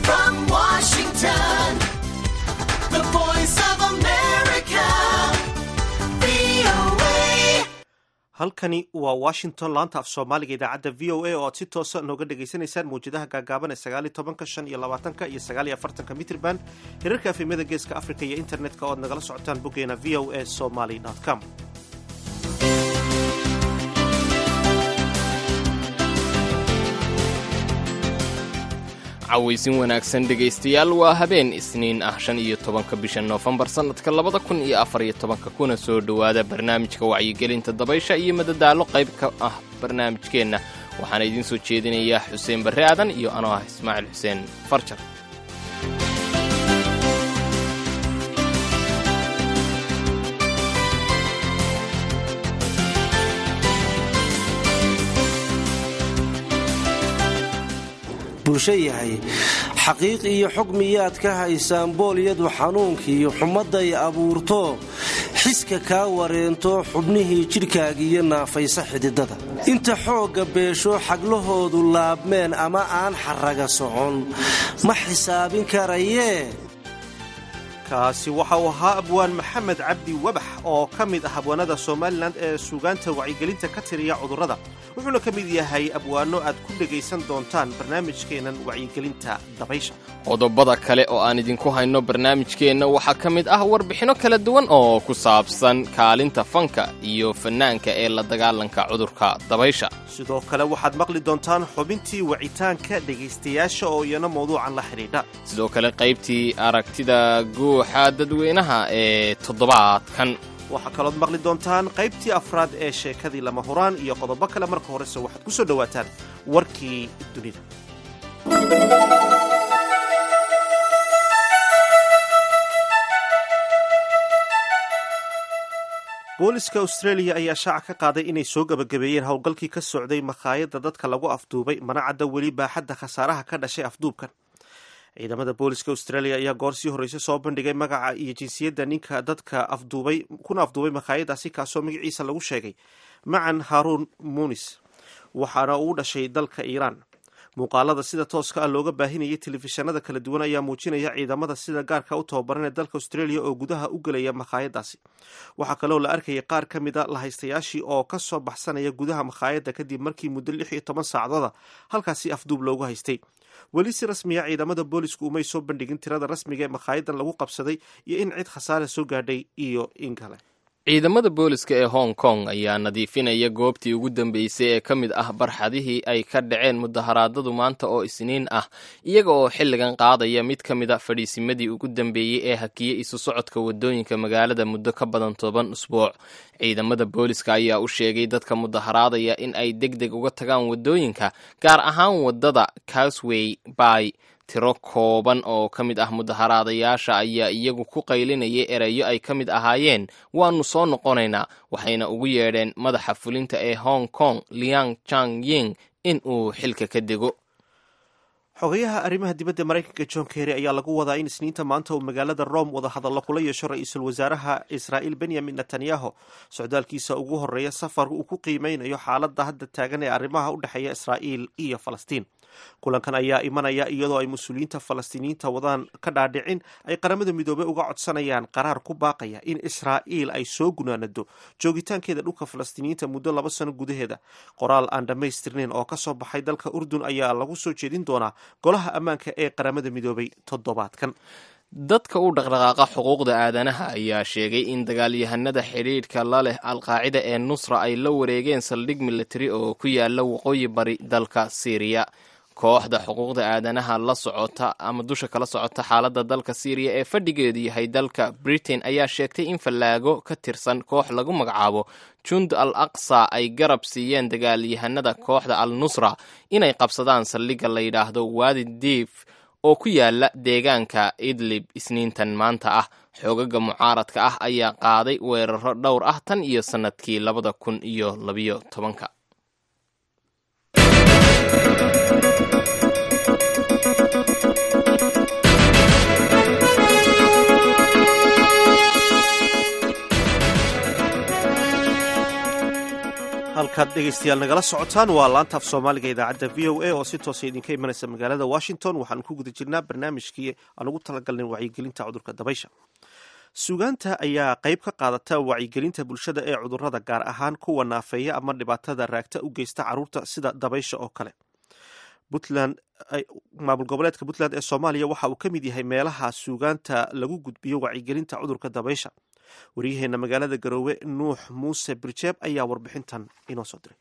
From Washington, the voice of America, VOA. Halkani waa Washington, laanta af Soomaaliga, idaacadda VOA oo aad si toosa nooga dhagaysanaysaan mawjadaha gaagaaban ee 19-ka, 25-ka iyo 49-ka mitrban, hirarka efemyada Geeska Africa iyo internetka oo aad nagala socotaan boggeena voasomali com. Cawaysin wanaagsan, dhegaystayaal. Waa habeen Isniin ah, 15-ka bisha Noofembar, sannadka 2014-ka. Kuna soo dhowaada barnaamijka wacyigelinta dabaysha iyo madadaalo qayb ka ah barnaamijkeenna. Waxaana idiin soo jeedinayaa Xuseen Barre Aadan iyo anoo ah Ismaaciil Xuseen Farjar. Bulsho yahay, xaqiiq iyo xog miyaad ka haysaan boolyadu xanuunkiiyo xumadday abuurto, xiska kaa wareento, xubnihii jidhkaagiiyo naafaysa xididada, inta xoogga beesho, xaglahoodu laabmeen ama aan xaraga socon, ma xisaabin karayee? Kaasi waxa uu ahaa abwaan Maxamed Cabdi Wabax oo ka mid ah abwaanada Somalilan ee suugaanta wacyigelinta ka tiriya cudurrada. Wuxuuna ka mid yahay abwaanno aad ku dhegaysan doontaan barnaamijkeennan wacyigelinta dabaysha. Qodobada kale oo aan idinku hayno barnaamijkeenna waxaa ka mid ah warbixinno kala duwan oo ku saabsan kaalinta fanka iyo fannaanka ee la dagaalanka cudurka dabaysha. Sidoo kale waxaad maqli doontaan xubintii wicitaanka dhegaystayaasha oo iyana mawduucan la xidhiidha. Sidoo kale qaybtii aragtida guuxa dadweynaha ee toddobaadkan. Waxaa kalood maqli doontaan qaybtii afraad ee sheekadii Lama Huraan iyo qodobo kale. Marka horese waxaad ku soo dhowaataan warkii dunida. Booliska Australia ayaa shaaca ka qaaday inay soo gabagabeeyeen howlgalkii ka socday makhaayadda dadka lagu afduubay, mana cadda weli baaxadda khasaaraha ka dhashay afduubkan. Ciidamada booliska Australia ayaa goor sii horreysay soo bandhigay magaca iyo jinsiyadda ninka dadka afduubay kuna afduubay makhaayadaasi, kaasoo magaciisa lagu sheegay Macan Haruun Muunis, waxaana uu dhashay dalka Iiraan. Muuqaalada sida tooska ah looga baahinayay telefishanada kala duwan ayaa muujinaya ciidamada sida gaarka u tababaran ee dalka Australia oo gudaha u gelaya makhaayadaasi. Waxaa kaloo la arkayay qaar ka mida lahaystayaashii oo ka soo baxsanaya gudaha makhaayadda kadib markii muddo 16 saacadooda halkaasi afduub loogu haystay. Weli si rasmiya ciidamada boolisku umay soo bandhigin tirada rasmiga ee makhaayaddan lagu qabsaday iyo in cid khasaare soo gaadhay iyo in kale. Ciidamada booliska ee Hong Kong ayaa nadiifinaya goobtii ugu dambeysay ee ka mid ah barxadihii ay ka dhaceen mudaharaadadu maanta oo Isniin ah, iyaga oo xilligan qaadaya mid ka mid a fadhiisimadii ugu dambeeyey ee hakiyey isu socodka waddooyinka magaalada muddo ka badan 10 usbuuc. Ciidamada booliska ayaa u sheegay dadka mudaharaadaya in ay deg deg uga tagaan waddooyinka, gaar ahaan waddada Causeway Bay. Tiro kooban oo ka mid ah mudaharaadayaasha ayaa iyagu ku qaylinayay erayo ay ka mid ahaayeen "Waannu soo noqonaynaa", waxayna ugu yeedheen madaxa fulinta ee Hong Kong Liang Chang Ying in uu xilka ka dego. Xogayaha arrimaha dibadda Maraykanka John Kerry ayaa lagu wadaa in Isniinta maanta uu magaalada Rome wadahadallo kula yeesho ra-iisul wasaaraha Israa'iil Benyamin Netanyahu, socdaalkiisa ugu horreeya safar uu ku qiimeynayo xaaladda hadda taagan ee arrimaha u dhexeeya Israa'iil iyo Falastiin. Kulankan ayaa imanaya iyadoo ay mas-uuliyiinta Falastiiniyiinta wadaan ka dhaadhicin ay Qaramada Midoobey uga codsanayaan qaraar ku baaqaya in Israa'iil ay soo gunaanado joogitaankeeda dhulka Falastiiniyiinta muddo 2 sano gudaheeda. Qoraal aan dhammaystirnayn oo ka soo baxay dalka Urdun ayaa lagu soo jeedin doonaa Golaha Ammaanka ee Qaramada Midoobey toddobaadkan. Dadka u dhaqdhaqaaqa xuquuqda aadanaha ayaa sheegay in dagaalyahanada xidhiidhka la leh Alqaacida ee Nusra ay la wareegeen saldhig militari oo ku yaala waqooyi bari dalka Siiriya. Kooxda xuquuqda aadanaha la socota ama dusha kala socota xaaladda dalka Siiriya ee fadhigeedu yahay dalka Britain ayaa sheegtay in fallaago ka tirsan koox lagu magacaabo Jund al Aqsa ay garab siiyeen dagaalyahanada kooxda Al Nusra inay qabsadaan saldhigga la yidhaahdo Waadi Diif oo ku yaala deegaanka Idlib Isniintan maanta ah. Xoogaga mucaaradka ah ayaa qaaday weeraro dhowr ah tan iyo sannadkii 2012-ka. Halka Halkaad dhegaystayaal nagala socotaan waa laanta af Soomaaliga idaacadda VOA oo si toosa idinka imanaysa magaalada Washington. Waxaan ku guda jirnaa barnaamijkii aan ugu talagalnay wacyigelinta cudurka dabaysha. Suugaanta ayaa qayb ka qaadata wacyigelinta bulshada ee cudurrada, gaar ahaan kuwa naafeeya ama dhibaatada raagta u geysta carruurta, sida dabaysha oo kale. Puntland, maamul goboleedka Puntland ee Soomaaliya, waxa uu ka mid yahay meelaha suugaanta lagu gudbiyo wacyigelinta cudurka dabaysha. Wariyaheena magaalada Garoowe, Nuux Muuse Birjeeb, ayaa warbixintan inoo soo diray.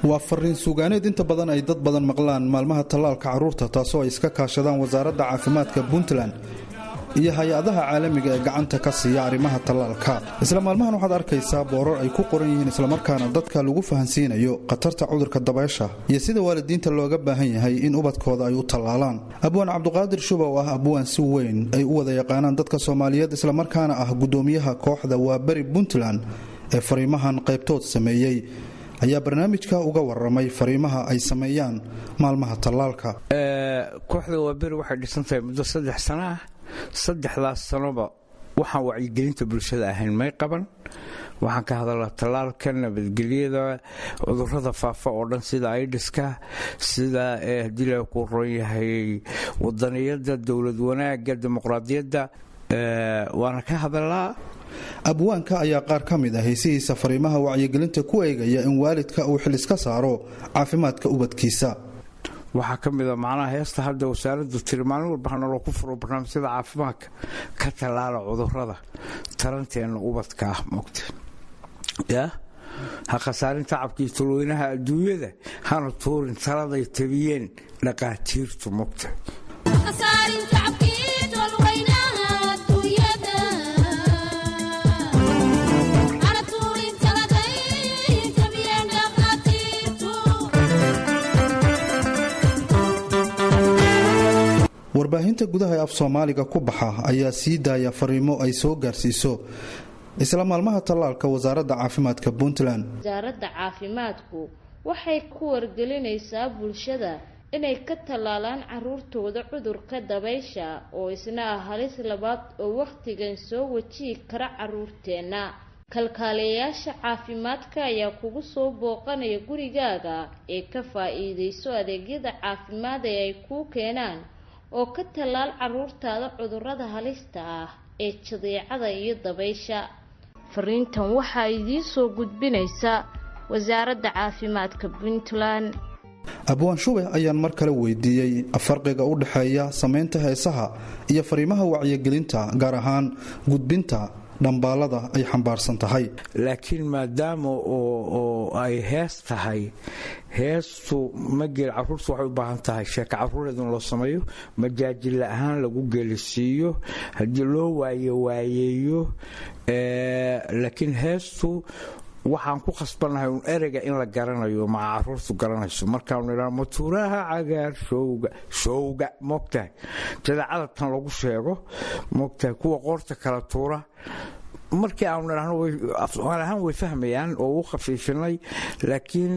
Waa fariin suugaaneed inta badan ay dad badan maqlaan maalmaha tallaalka carruurta, taasoo ay iska kaashadaan Wasaaradda Caafimaadka Puntland iyo hay-adaha caalamiga ee gacanta ka siiya arrimaha tallaalka. Isla maalmahan waxaad arkaysaa boorar ay ku qoran yihiin, islamarkaana dadka lagu fahansiinayo khatarta cudurka dabaysha iyo sida waalidiinta looga baahan yahay in ubadkooda ay u tallaalaan. Abwaan Cabduqaadir Shuba oo ah abwaan si weyn ay u wada yaqaanaan dadka Soomaaliyeed, islamarkaana ah gudoomiyaha kooxda Waaberi Puntland ee fariimahan qaybtood sameeyey, ayaa barnaamijka uga waramay fariimaha ay sameeyaan maalmaha tallaalka. Kooxda Waaberi waxay dhisantahay muddo 3 sano ah. Saddexdaas sanoba waxaan wacyigelinta bulshada ahayn may qaban. Waxaan ka hadalnaa tallaalka, nabadgelyada, cudurrada faafa oo dhan, sida aidiska, sida haddii la ku roon yahay wadaniyadda, dowlad wanaagga, dimuqraadiyadda, waana ka hadalnaa. Abwaanka ayaa qaar ka mid ah heesihiisa fariimaha wacyigelinta ku eegaya in waalidka uu xil iska saaro caafimaadka ubadkiisa. Waxaa ka mid a macnaha heesta hadda wasaaraddu tiri maalin walba hanaloo ku furo barnaamijyada caafimaadka: ka tallaala cudurrada taranteenna ubadka ah, moogta yaa ha khasaarin tacabkii tulweynaha adduunyada, hana tuurin taladay tabiyeen dhaqaatiirtu, moogta. Warbaahinta gudaha ee af Soomaaliga ku baxa ayaa sii daaya fariimo ay soo gaarsiiso isla maalmaha tallaalka Wasaaradda Caafimaadka Puntland. Wasaaradda caafimaadku waxay ku wargelinaysaa bulshada inay ka tallaalaan caruurtooda cudurka dabaysha, oo isna ah halis labaad oo wakhtigan soo wajihi kara caruurteenna. Kalkaaliyayaasha caafimaadka ayaa kugu soo booqanaya gurigaaga ee ka faa-iideyso adeegyada caafimaad ee ay kuu keenaan, oo ka tallaal caruurtaada cudurrada halista ah ee jadeecada iyo dabaysha. Fariintan waxaa idiin soo gudbinaysa Wasaaradda Caafimaadka Puntland. Abwaan Shube ayaan mar kale weydiiyey farqiga u dhexeeya samaynta heesaha iyo fariimaha wacyigelinta, gaar ahaan gudbinta dhambaalada ay xambaarsan tahay. Laakiin maadaama oo ay hees tahay, heestu ma gel. Caruurtu waxay u baahan tahay sheeka caruureed in loo sameeyo, majaajila ahaan lagu gelisiiyo, haddii loo waaye waayeeyo. Laakiin heestu waxaan ku khasbannahay un ereyga in la garanayo, maca caruurtu garanayso. Markaanu idhaa matuuraha cagaar showga showga, moogtahay, jadeecada tan lagu sheego, moogtahay, kuwa qoorta kala tuura, markii aanu idhaahno afsoomaali ahaan way fahmayaan oo u khafiifinay. Laakiin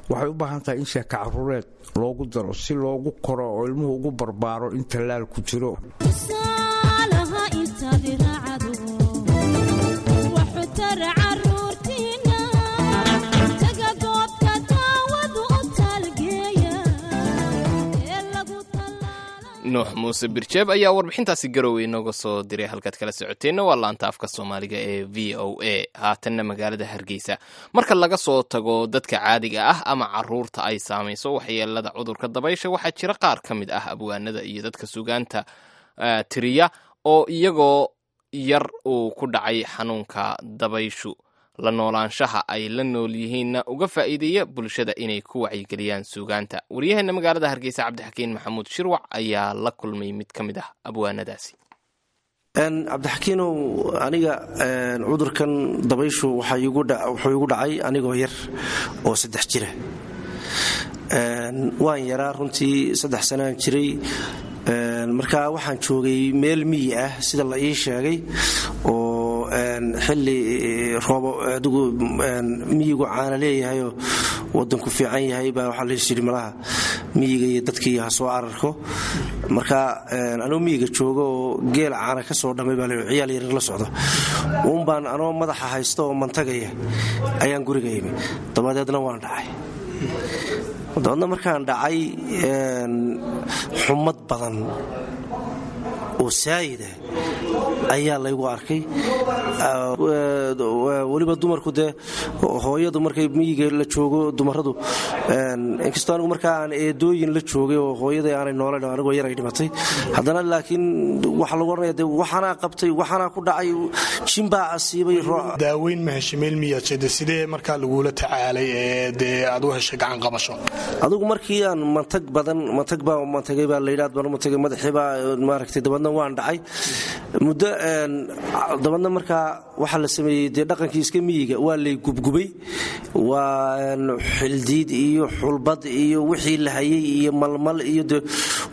waxay u baahan tahay in sheeka caruureed loogu daro si loogu koro oo ilmuhu ugu barbaaro in tallaal ku jiro. Nuux Muuse Birjeeb ayaa warbixintaasi Garowe inooga soo diray. Halkaad kala socoteenna waa laanta afka Soomaaliga ee VOA. Haatanna magaalada Hargeysa. Marka laga soo tago dadka caadiga ah ama caruurta ay saamayso waxyeelada cudurka dabaysha, waxaa jira qaar ka mid ah abwaanada iyo dadka sugaanta tiriya oo iyagoo yar uu ku dhacay xanuunka dabayshu, la noolaanshaha ay la nool yihiinna uga faa'iideeya bulshada inay ku wacyigeliyaan suugaanta. Waryaheena magaalada Hargeysa, Cabdixakiin Maxamuud Shirwac, ayaa la kulmay mid ka mid ah abwaanadaasi. Cabdixakiinow, aniga cudurkan dabayshu wuxuu igu dhacay anigoo yar oo 3 jira. Waan yaraa runtii, 3 sanaan jiray. Markaa waxaan joogay meel miyi ah, sida la ii sheegay, oo xilli roobo adigu miyigu caana leeyahayoo wadanku fiican yahay baa waxaa lais yidhi malaha Miyiga iyo dadkii ha soo ararko. Marka anoo miyiga jooga oo geel caana ka soo dhamay baa la ciyaal yaryar la socdo uun baan anoo madaxa haysta oo mantagaya ayaan guriga imi. Dabadeedna waan dhacay. Dabeedna markaan dhacay, xumad badan oo saayida ayaa laygu arkay. Weliba dumarku dee, hooyadu markay miyiga la joogo, dumaradu, inkastoo anigu markaa aan eedooyin la joogay oo hooyaday aanay noolayn, anigoo yar ay dhimatay, haddana laakiin waxaa lagu odhanaya dee waxaanaa qabtay, waxaanaa ku dhacay, jimbaa asiibay. Daaweyn ma heshay? Meel miyaad jeeda? Sidee markaa lagula tacaalay ee dee aad u heshay gacan qabasho? Adigu markii aan mantag badan, mantag baa mantagay baa layidhi, aad baan u mantagay, madaxii baa maaragtay. Dabeedna waan dhacay muddo. Dabeedna markaa waxaa la sameeyey dee dhaqankii iska miyiga, waa lay gubgubay, waa xildiid iyo xulbad iyo wixii la hayey iyo malmal iyo de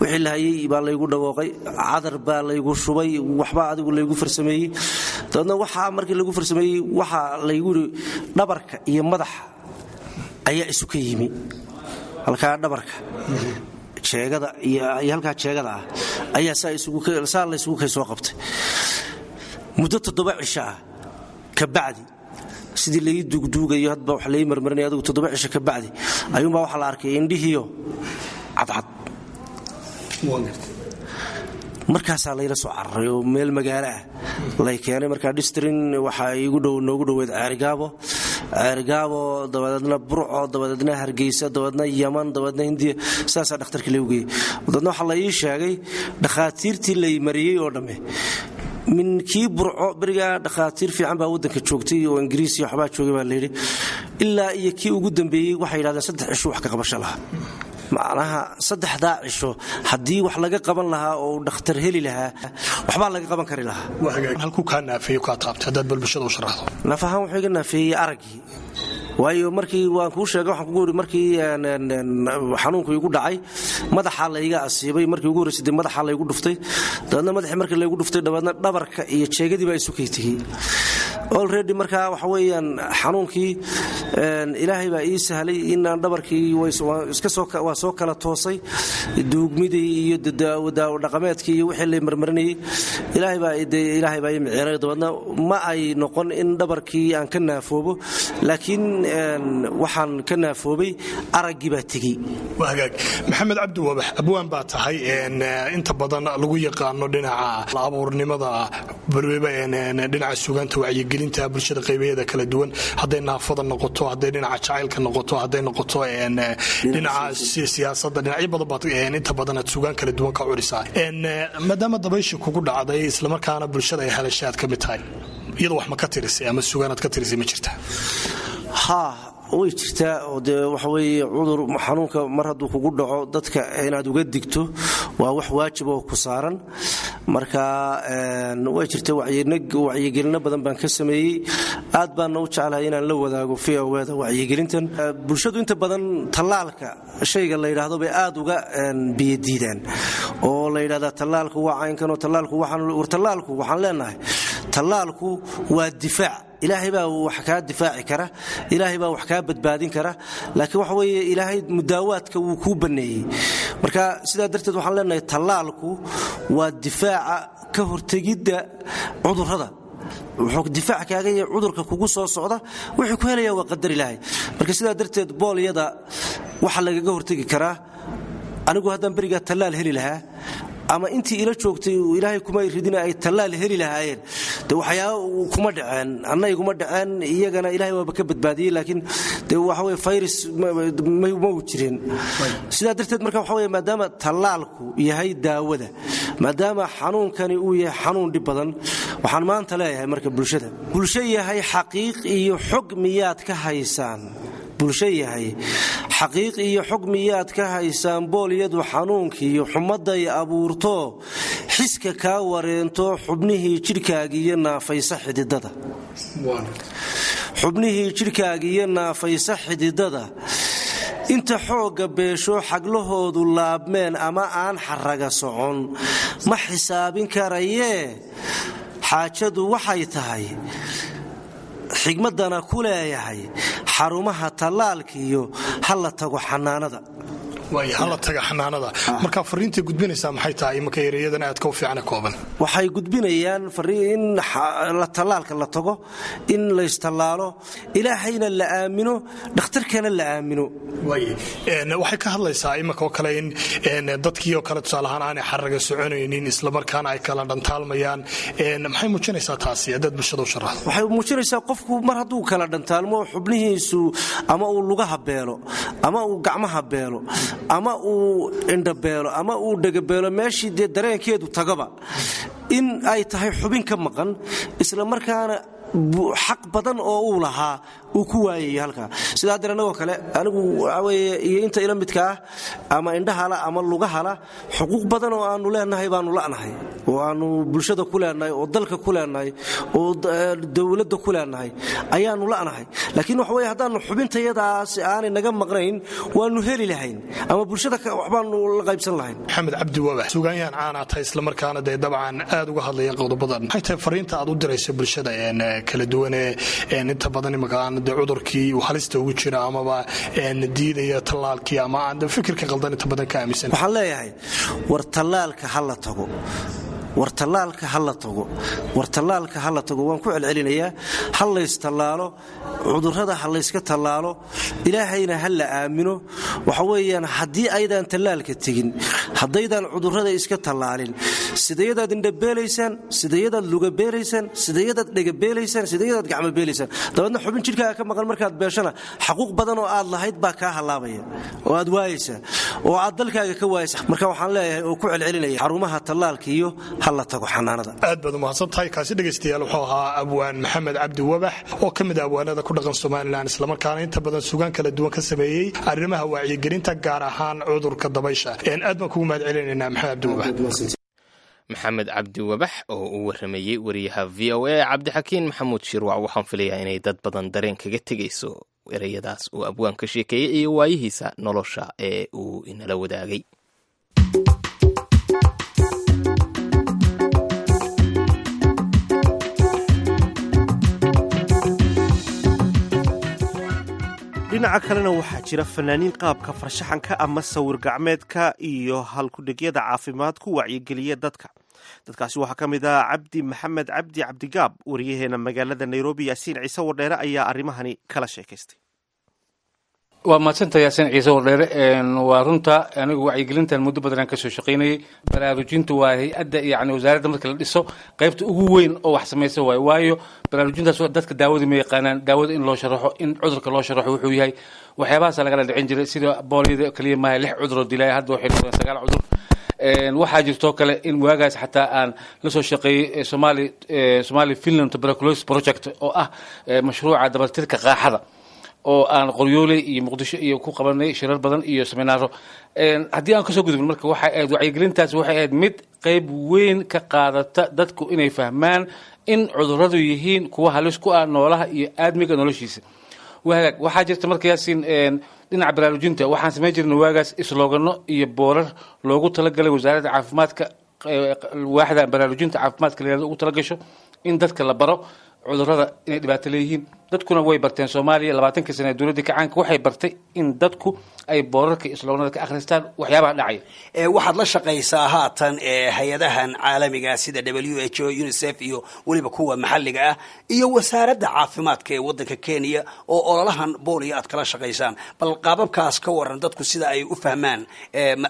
wixii la hayey baa laygu dhawooqay, cadar baa laygu shubay, waxbaa adigu laygu farsameeyey. Dabeedna waxaa markii lagu farsameeyey, waxaa laygu yidhi dhabarka iyo madaxa ayaa isu ka yimi, halkaa dhabarka jeegada iyo halkaa jeegada ah ayaa saa laysugu kay soo qabtay. Muddo 7 cisho ah kabacdi, sidii lai duugduugayo hadba wax lai marmarinaya, adigu 7 cisho kabacdi ayuunbaa waxaa la arkay indhihiyo cadcad. Markaasaa layla soo cararay oo meel magaalo ah lay keenay. Markaa distrin waxaa igu dhow, noogu dhoweyd Ceerigaabo. Ceerigaabo, dabadeedna Burco, dabadeedna Hargeysa, dabadeedna Yaman, dabadeedna Hindiya. Sidaasaa dhakhtarkii lagu geeyey. Dabeedna waxaa la ii sheegay dhakhaatiirtii lay mariyey oo dhamme, min kii Burco, berigaa dhakhaatiir fiican baa waddanka joogtay oo Ingiriis iyo waxbaa joogay baa layidhi, ilaa iyo kii ugu dambeeyey, waxay yidhahdeen 3 cisho wax ka qabasho lahaa. Macnaha saddexdaa cisho haddii wax laga qaban lahaa oo uu dhakhtar heli lahaa, waxbaa laga qaban kari lahaa. Halkuu kaa naafeeyo, kaa taabtay, haddaad bal bulshada u sharaxdo? Naf ahaan wuxuu iga naafeeyey araggii, waayo markii waan kuu sheegay, waxaan kugu yidhi markii xanuunku igu dhacay madaxaa layga asiibay. Markii ugu horreysay dee madaxaa laygu dhuftay. Dabeedna madaxii markii laygu dhuftay, dabeedna dhabarka iyo jeegadii baa isu kay tegey already. Markaa waxa weeyaan xanuunkii Ilaahay baa ii sahlay inaan dhabarkii iska soo waa soo kala toosay. Duugmidii iyo daawo dhaqameedkii iyo wixii lay marmarinayay, Ilaahay baa ii miciray. Dabeedna ma ay noqon in dhabarkii aan ka naafoobo, laakiin waxaan ka naafoobay araggii baa tegey. Waa hagaag. Maxamed Cabdi Wabax, abwaan baa tahay inta badan lagu yaqaano dhinaca abuurnimada, balweba dhinaca sugaanta wacyigelinta bulshada qaybaheeda kala duwan, hadday naafada noqoto, hadday dhinaca jacaylka noqoto, hadday noqoto dhinaca siyaasadda, dhinacyo badan baad inta badan aad sugaan kala duwan ka curisaa. Maadaama dabayshii kugu dhacday islamarkaana bulshada ay halashay aad ka mid tahay, iyada wax ma ka tirisay ama sugaanaad ka tirisay ma jirta? Haa, way jirtaa. Oo dee waxa weeye cudur xanuunka mar hadduu kugu dhaco, dadka inaad uga digto waa wax waajib oo ku saaran. Marka way jirta, wacyigelino badan baan ka sameeyey. Aad baana u jeclahay inaan la wadaago VOA-da wacyigelintan. Bulshadu inta badan tallaalka shayga la yidhaahdo bay aad uga biyadiidaan, oo la yidhahdaa tallaalku waa caynkan oo tallaalku waxaan. War tallaalku, waxaan leenahay, tallaalku waa difaac. Ilaahay baa wax kaa difaaci kara, Ilaahay baa wax kaa badbaadin kara, laakiin waxa weeye Ilaahay mudaawaadka wuu kuu banneeyey. Marka sidaa darteed waxaan leenahay tallaalku waa difaaca ka hortegidda cudurrada. Wuxuu difaac kaaga yahay cudurka kugu soo socda. Wuxuu ku helaya waa qadar Ilaahay. Marka sidaa darteed boolyada waxaa lagaga hortegi karaa, anigu haddaan berigaa tallaal heli lahaa ama intii ila joogtay Ilaahay kuma ridina ay tallaal heli lahaayeen, de waxyaaba kuma dhaceen, anna iguma dhaceen, iyagana Ilahay waaba ka badbaadiyey. Laakiin de waxa weye virus ma u jirin. Sidaa darteed marka waxa weye, maadaama tallaalku yahay daawada, maadaama xanuunkani uu yahay xanuun dhib badan, waxaan maanta leeyahay marka bulshada: bulsho yahay, xaqiiq iyo xog miyaad ka haysaan? Bulsho yahay, xaqiiq iyo xog miyaad ka haysaan boolyadu xanuunkiiyo xumadday abuurto, xiska kaa wareento, xubnihii jidhkaagiiyo naafaysa xididada, xubnihii jidhkaagiiyo naafaysa xididada, inta xoogga beesho xaglahoodu laabmeen ama aan xaraga socon ma xisaabin karayee? Xaajadu waxay tahay, xigmaddana ku leeyahay, xarumaha tallaalkiiyo ha la tago xanaanada. Waay, hala taga xanaanada. Marka fariintay gudbinaysaa maxay tahay imanka ereyadan aadka u fiicana kooban? Waxay gudbinayaan in la tallaalka la tago, in laystallaalo, ilaahayna la aamino, dhakhtarkana la aamino. Waxay ka hadlaysaa imanka oo kale in dadkii oo kale tusaale ahaan aanay xaraga soconaynin, islamarkaana ay kala dhantaalmayaan. Maxay muujinaysaa taasi haddaad bulshada u sharaxdo? Waxay muujinaysaa qofku mar hadduu kala dhantaalmo xubnihiisu, ama uu lugaha beelo, ama uu gacmaha beelo, ama uu indhabeelo, ama uu dhegabeelo, meeshii dee dareenkeedu tagaba, in ay tahay xubin ka maqan, isla markaana xaq badan oo uu lahaa uu ku waayayo halkaa. Sidaa haddeen annagoo kale, anigu waxaa weeye iyo inta ila midka ah, ama indhahala ama lugahala, xuquuq badan oo aanu leenahay baanu la'nahay, oo aanu bulshada ku leenahay, oo dalka ku leenahay, oo dowladda ku leenahay ayaanu la'nahay. Laakiin waxa weye haddaanu xubintayadaas aanay naga maqnayn, waanu heli lahayn ama bulshada waxbaanu la qaybsan lahayn. Maxamed Cabdi Wabax, sugaanyahan caanaa tahay, islamarkaana dee dabcan aad uga hadlaya qodobadan. Maxay tahay fariinta aad u diraysa bulshada kala duwan ee inta badan imaka aan dee cudurkii uu halista ugu jira, amaba diidaya tallaalkii, ama aan fikirka qaldan inta badan ka aaminsan? Waxaan leeyahay, war tallaalka ha la tago, war tallaalka ha la tago, war tallaalka ha la tago. Waan ku celcelinayaa, ha laystallaalo, cudurrada ha layska tallaalo, ilaahayna ha la aamino. Waxa weeyaan haddii aydaan tallaalka tegin, haddaydaan cudurrada iska tallaalin, sidayadaad indhabeelaysaan, sidayadaad lugabeelaysaan, sidayadaad dhegabeelaysaan, sidayadaad gacmobeelaysaan, dabeedna xubin jidhkaaga ka maqan markaad beeshana, xaquuq badan oo aad lahayd baa kaa hallaabaya oo aad waayaysaa oo aad dalkaaga ka waayaysa. Marka waxaan leeyahay oo ku celcelinaya, xarumaha tallaalka iyo ha la tago xanaanada. Aad baad umahadsan tahay. Kaasi dhegaystayaal wuxuu ahaa abwaan Maxamed Cabdi Wabax oo ka mid ah abwaanada ku dhaqan Somalilan, islamarkaana inta badan sugaan kala duwan ka sameeyey arrimaha wacyigelinta, gaar ahaan cudurka dabaysha. Aad baan kugu mahad celinaynaa, Maxamed Cabdi Wabax. Maxamed Cabdi Wabax oo uu waramayey wariyaha VOA Cabdixakiin Maxamuud Shirwac. Waxaan filayaa inay dad badan dareen kaga tegayso ereyadaas uu abwaan ka sheekeeyey iyo waayihiisa nolosha ee uu inala wadaagay. Dhinaca kalena waxaa jira fanaaniin qaabka farshaxanka ama sawir gacmeedka iyo halkudhegyada caafimaad ku wacyigeliya dadka. Dadkaasi waxaa ka mid ah Cabdi Maxamed Cabdi, Cabdigaab. Wariyaheena magaalada Nairobi, Yaasiin Ciise Wardheere, ayaa arrimahani kala sheekaystay. Waa mahadsanta, Yaasiin Ciise Wardheere. Waa runta, anigu wacyigelintan muddo badan aan kasoo shaqaynayay. Baraarujintu waa hay-adda, yani wasaaradda marka la dhiso qaybta ugu weyn oo wax samaysa waayo. Waayo, baraarujintaas dadka daawada ma yaqaanaan, daawada in loo sharaxo, in cudurka loo sharaxo wuxuu yahay, waxyaabahaasa lagala dhicin jiray. Sida booliyada kaliya maaha, lix cuduroo dilaya, hadda waxay noqdeen sagaal cudur. Waxaa jirtoo kale in waagaas xataa aan la soo shaqeeyey Somali Finland Tuberculosis Project, oo ah mashruuca dabartirka qaaxada, oo aan Qoryooley iyo Muqdisho iyo ku qabanay shirar badan iyo seminaaro. Haddii aan kasoo gudubin, marka waxay ahayd wacyigelintaas waxay ahayd mid qayb weyn ka qaadata dadku inay fahmaan in cudurradu yihiin kuwa halis ku ah noolaha iyo aadmiga noloshiisa. Wahagaag, waxaa jirta marka, Yaasiin, dhinaca baraarujinta waxaan samayn jirnay waagaas islogano iyo boorar loogu talagalay wasaaradda caafimaadka, waaxda baraarujinta caafimaadka la yihahdo ugu talagasho in dadka la baro cudurrada inay dhibaato leeyihiin. Dadkuna way barteen. Soomaaliya 20kii sane ee dowladdii kacaanka waxay bartay in dadku ay boorarka iyo sloganada ka akhristaan waxyaabaha dhacaya. Waxaad la shaqaysaa haatan hay-adahan caalamiga sida WHO, UNICEF iyo weliba kuwa maxalliga ah iyo wasaaradda caafimaadka ee waddanka Kenya oo ololahan booliya aad kala shaqaysaan. Bal qaababkaas ka waran, dadku sida ay u fahmaan,